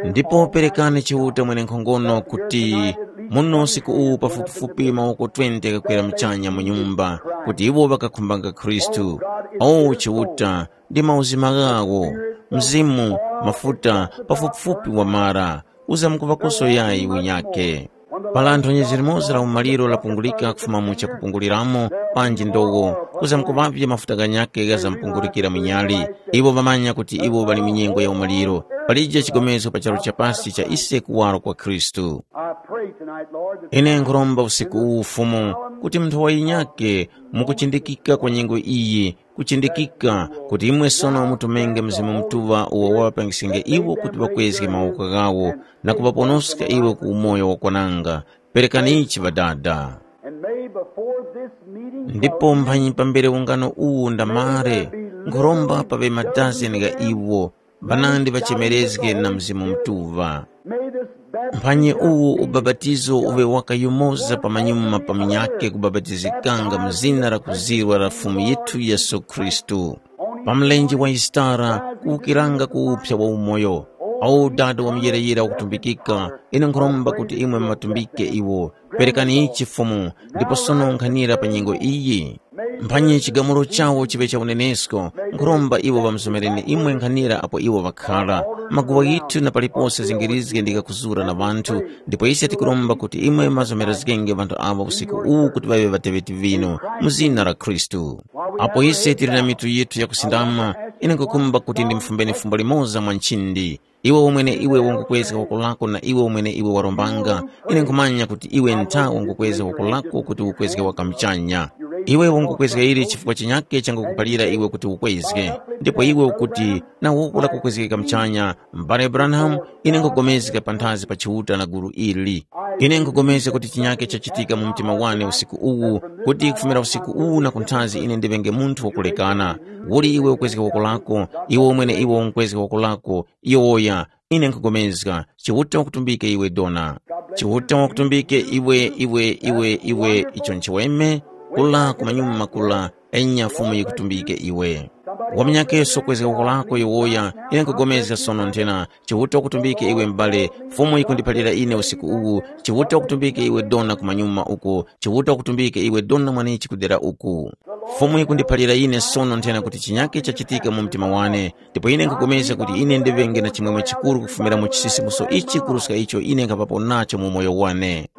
Ndipo perekani Chiuta mwenenkhongono kuti muno usiku uwu pafupifupi mawoko twenty ghakwera muchanya mu nyumba, kuti iwo ŵakakhumbanga Khristu. O Chiuta, ndi mauzima ghawo, mzimu, mafuta, pafupifupi wamara, uza mukuŵakoso yayi unyakhe. Para nthonyezo limoza la umaliro lapungulika kufuma mu chakupunguliramo, panji ndowo, kuza mukuŵavye mafuta ghanyakhe ghazampungulikira munyali. Iwo ŵamanya kuti iwo ŵali mu nyengo ya umaliro. Palije chigomezgo pa charu cha pasi cha ise kuwaro kwa Khristu. I pray tonight, Lord, that Ine nkhuromba usiku uwu Fumu, kuti munthu wayinyake mukuchindikika kwa nyengo iyi, kuchindikika kuti imwe sono mutumenge Mzimu Mutuŵa uwo waŵapangiskenge iwo kuti ŵakwezge mawoko ghawo na kuŵaponoska iwo ku umoyo wakwananga. Perekani ichi Ŵadada. And may before this meeting Ndipo mphanyi pambere ungano uwu undamare, nkhuromba paŵe madazeni gha iwo, ŵanandi ŵachemerezge na Mzimu Mutuŵa. May this baptism Mphanyi uwu ubabatizo uŵe waka yumoza pamanyuma pa munyakhe kubabatizikanga mu zina la kuzirwa la Fumu yithu Yesu Khristu. Pa mlenje wa Yisitara kuwukiranga ku uphya wa umoyo. Awu Dada wa muyirayira wakutumbikika, ine nkhuromba kuti imwe mumatumbike iwo. Perekani ichi Fumu, ndipo sono nkhanira pa nyengo iyi. Mphanyi chigamulo chawo chiŵe cha unenesko, nkhuromba iwo ŵamusomereni imwe nkhanira apo iwo ŵakhala. Maguwa ghithu na palipose zingirizge ndi ghakuzura na ŵanthu, ndipo ise tikuromba kuti imwe muŵazomerezgenge ŵanthu awa usiku uwu kuti ŵaŵe ŵateŵeti vinu, mu zina la Khristu. Apo ise tili na mitu yithu yakusindama, Ine nkhukhumba kuti ndimufumbeni fumbo limoza mwa nchindi. Iwe umwene iwe wangukwezga woko lako na iwe umwene iwe warombanga, ine nkhumanya kuti iwe ntha wangukwezga woko lako kuti ukwezge waka muchanya. Iwe wangukwezga ili chifukwa chinyake changukuphalira iwe kuti ukwezge. Ndipo iwe ukuti, na woko lakukwezgeka muchanya, m'bale Branham, ine nkhupulikana panthazi pa Chiuta na gulu ili. Ine nkhupulikana kuti chinyake chachitika mu mtima wane usiku uwu, kuti kufumira usiku uwu na kunthazi ine ndiŵenge munthu wakulekana. Uli iwe ukwezga woko lako, iwe umwene iwe unkwezga woko lako, yowoya, ine nkhupulikana, Chiuta wakutumbike iwe dona. Chiuta wakutumbike iwe, iwe, iwe, iwe, icho nchiweme, kula kumanyuma kula, enya Fumu yikutumbike iwe. Wamnyakeso kwezga woko lako yowoya, ine nkhupulikana sono nthena, Chiuta wakutumbike iwe m'bale, Fumu yikundiphalira ine usiku uwu, Chiuta wakutumbike iwe dona kumanyuma uko, Chiuta wakutumbike iwe dona mwanichi kudera uku. Fumu yikundiphalira ine sono nthena kuti chinyake chachitika mu mtima wane, ndipo ine nkhupulikana kuti ine ndiŵenge na chimwemwe chikuru kufumira mu chisisimuso ichi kuruska icho ine nkhapapo nacho mu umoyo wane.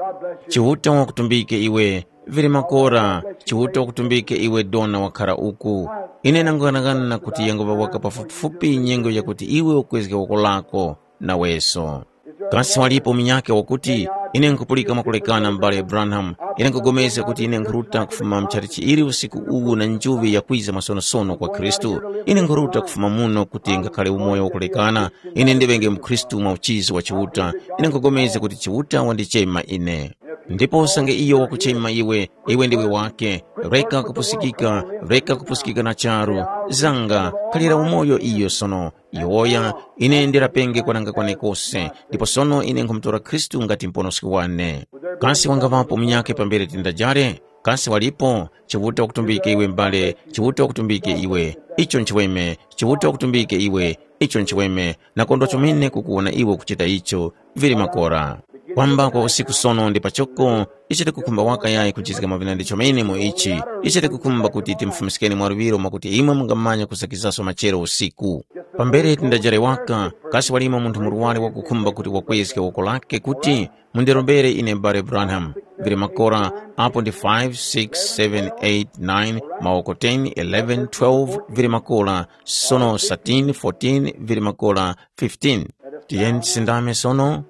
Chiuta wakutumbike iwe, vili makora, Chiuta wakutumbike iwe dona wakhara uku. Ine nanguyang'ana kuti yanguŵa waka pafupifupi nyengo yakuti iwe ukwezge woko lako, naweso. Kasi walipo munyakhe wakuti, ine nkhupulika mwakulekana m'bale Branham, ine nkhupulikana kuti ine nkhuruta kufuma mchalichi ili usiku uwu na njuŵi yakwiza mwasonosono kwa Khristu. Ine nkhuruta kufuma muno kuti ngakhale umoyo wakulekana, ine ndiŵenge mukhristu mwa uchizi wa Chiuta, ine nkhupulikana kuti Chiuta wandichema ine. Ndipo usange iyo wakuchema iwe, iwe ndiwe wake, reka kupusikika, reka kupusikika na charu, zanga, khalira umoyo iyo sono, yowoya, ine ndirapenge kwananga kwane kose, ndipo sono ine nkhumutora Khristu ngati muponoski wane. Kasi wangaŵapo munyakhe pambere tindajare? Kasi walipo? Chiuta wakutumbike iwe m'bale, Chiuta wakutumbike iwe. Icho nchiweme, Chiuta wakutumbike iwe. Icho nchiweme, nakondwa chomene kukuwona iwe ukuchita icho, vili makora. Kwamba kwa usiku sono ndi pachoko, ichi tikukhumba waka yayi kuchizga mavinandi chomene mu ichi, ichi tikukhumba kuti timufumiskeni mwaluŵiro mwakuti imwe mungamanya kusakizaso machero usiku. Pambere tindajare waka, kasi walimo munthu murwari wakukhumba kuti wakwezge woko lake kuti, mundirombere ine Bare Branham, vili makora, apo ndi five, six, seven, eight, nine, mawoko ten, eleven, twelve, vili makora, sono thirteen, fourteen, vili makora, fifteen. Tiyeni tisindame sono.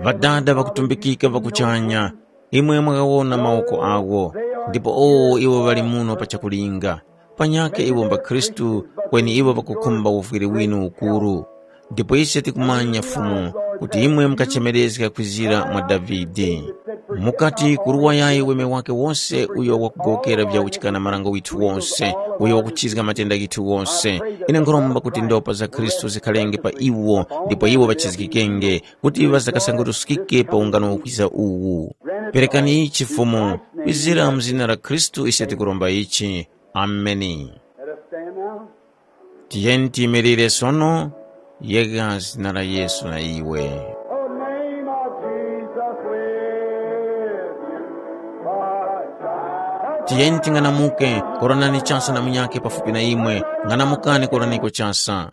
Ŵadada ŵakutumbikika ŵa kuchanya, imwe mwakawona mawoko awo, ndipo owo iwo ŵali muno pa chakulinga. Panyakhe iwo mbakhristu, kweni iwo ŵakukhumba uvwiri winu ukuru. Ndipo ise tikumanya Fumu, kuti imwe mukachemerezga kwizira mwa Davide. Mukati kuruwa yayi weme wake wose uyo wakugowokera vyawuchikana marango withu wose, uyo wakuchizga matenda ghithu wose. Ine nkhuromba kuti ndopa za Khristu zikhalenge pa iwo, ndipo iwo ŵachizgikenge, kuti ŵazakasanguruskike pa ungano ukwiza uwu. Perekani ichi Fumu, kwizira mu zina la Khristu ise tikuromba ichi. Ameni. Let us stand now. Tiyeni tiyimirire sono, yega zina la Yesu na iwe. The name of Jesus with you. Tiyeni ting'anamuke, koranani chasa na munyakhe pafupi na imwe, ng'anamukani koraniko chasa.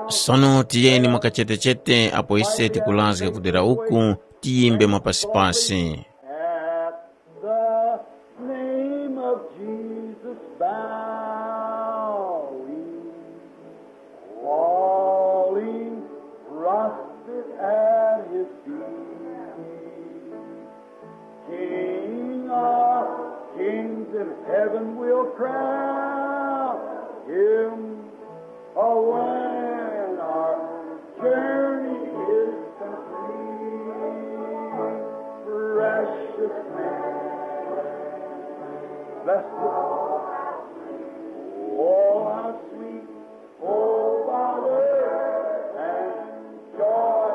Sono tiyeni mwakachetechete apo ise tikurazga kudera uku, tiyimbe mwapasipasi. At the name of Jesus bowing, falling prostrate at his feet. King of kings in heaven will crown him. Oh, when our journey is complete, precious name, blessed, oh, how sweet, oh, how worth and joy.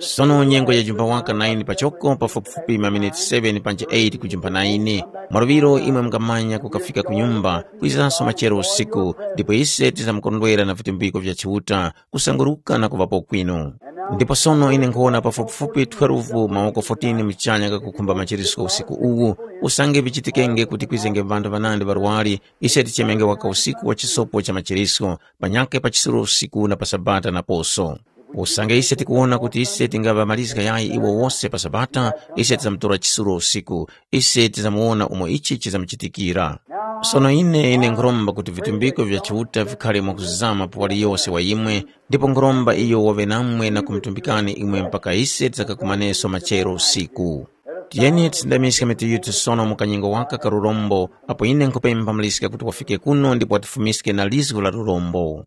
Sono nyengo ya jumba waka naini pachoko pafupifupi maminiti seven panje eight kujumba naini. Mwaluŵiro imwe mungamanya kukafika ku nyumba, kwizanso machero usiku, ndipo ise tizamkondwera na vitumbiko vya Chiuta, kusanguruka na kuŵapo kwinu. Ndipo sono ine nkhuwona pafupifupi twelve mawoko fourteen muchanya kakukhumba machirisko usiku uwu, usange vichitikenge kuti kwizenge ŵanthu ŵanandi ŵarwari, ise tichemenge waka usiku wa chisopo cha machirisko, panyakhe pa chisulo usiku na pa Sabata naposo. Usange ise tikuwona kuti ise tingaŵamalizga yayi iwo wose pa Sabata, ise tizamutora chisulo usiku, ise tizamuwona umo ichi chizamuchitikira. Sono ine ine nkhuromba kuti vitumbiko vya Chiuta vikhale mwakuzama pa waliyose wa imwe, ndipo nkhuromba iyo waŵe namwe na kumutumbikani imwe mpaka ise tizakakumaneso machero usiku. Tiyeni tisindamiske mitu yithu sono mu kanyengo waka ka lurombo, apo ine nkhupempha Muliska kuti wafike kuno ndipo watifumiske na lizgu la lurombo.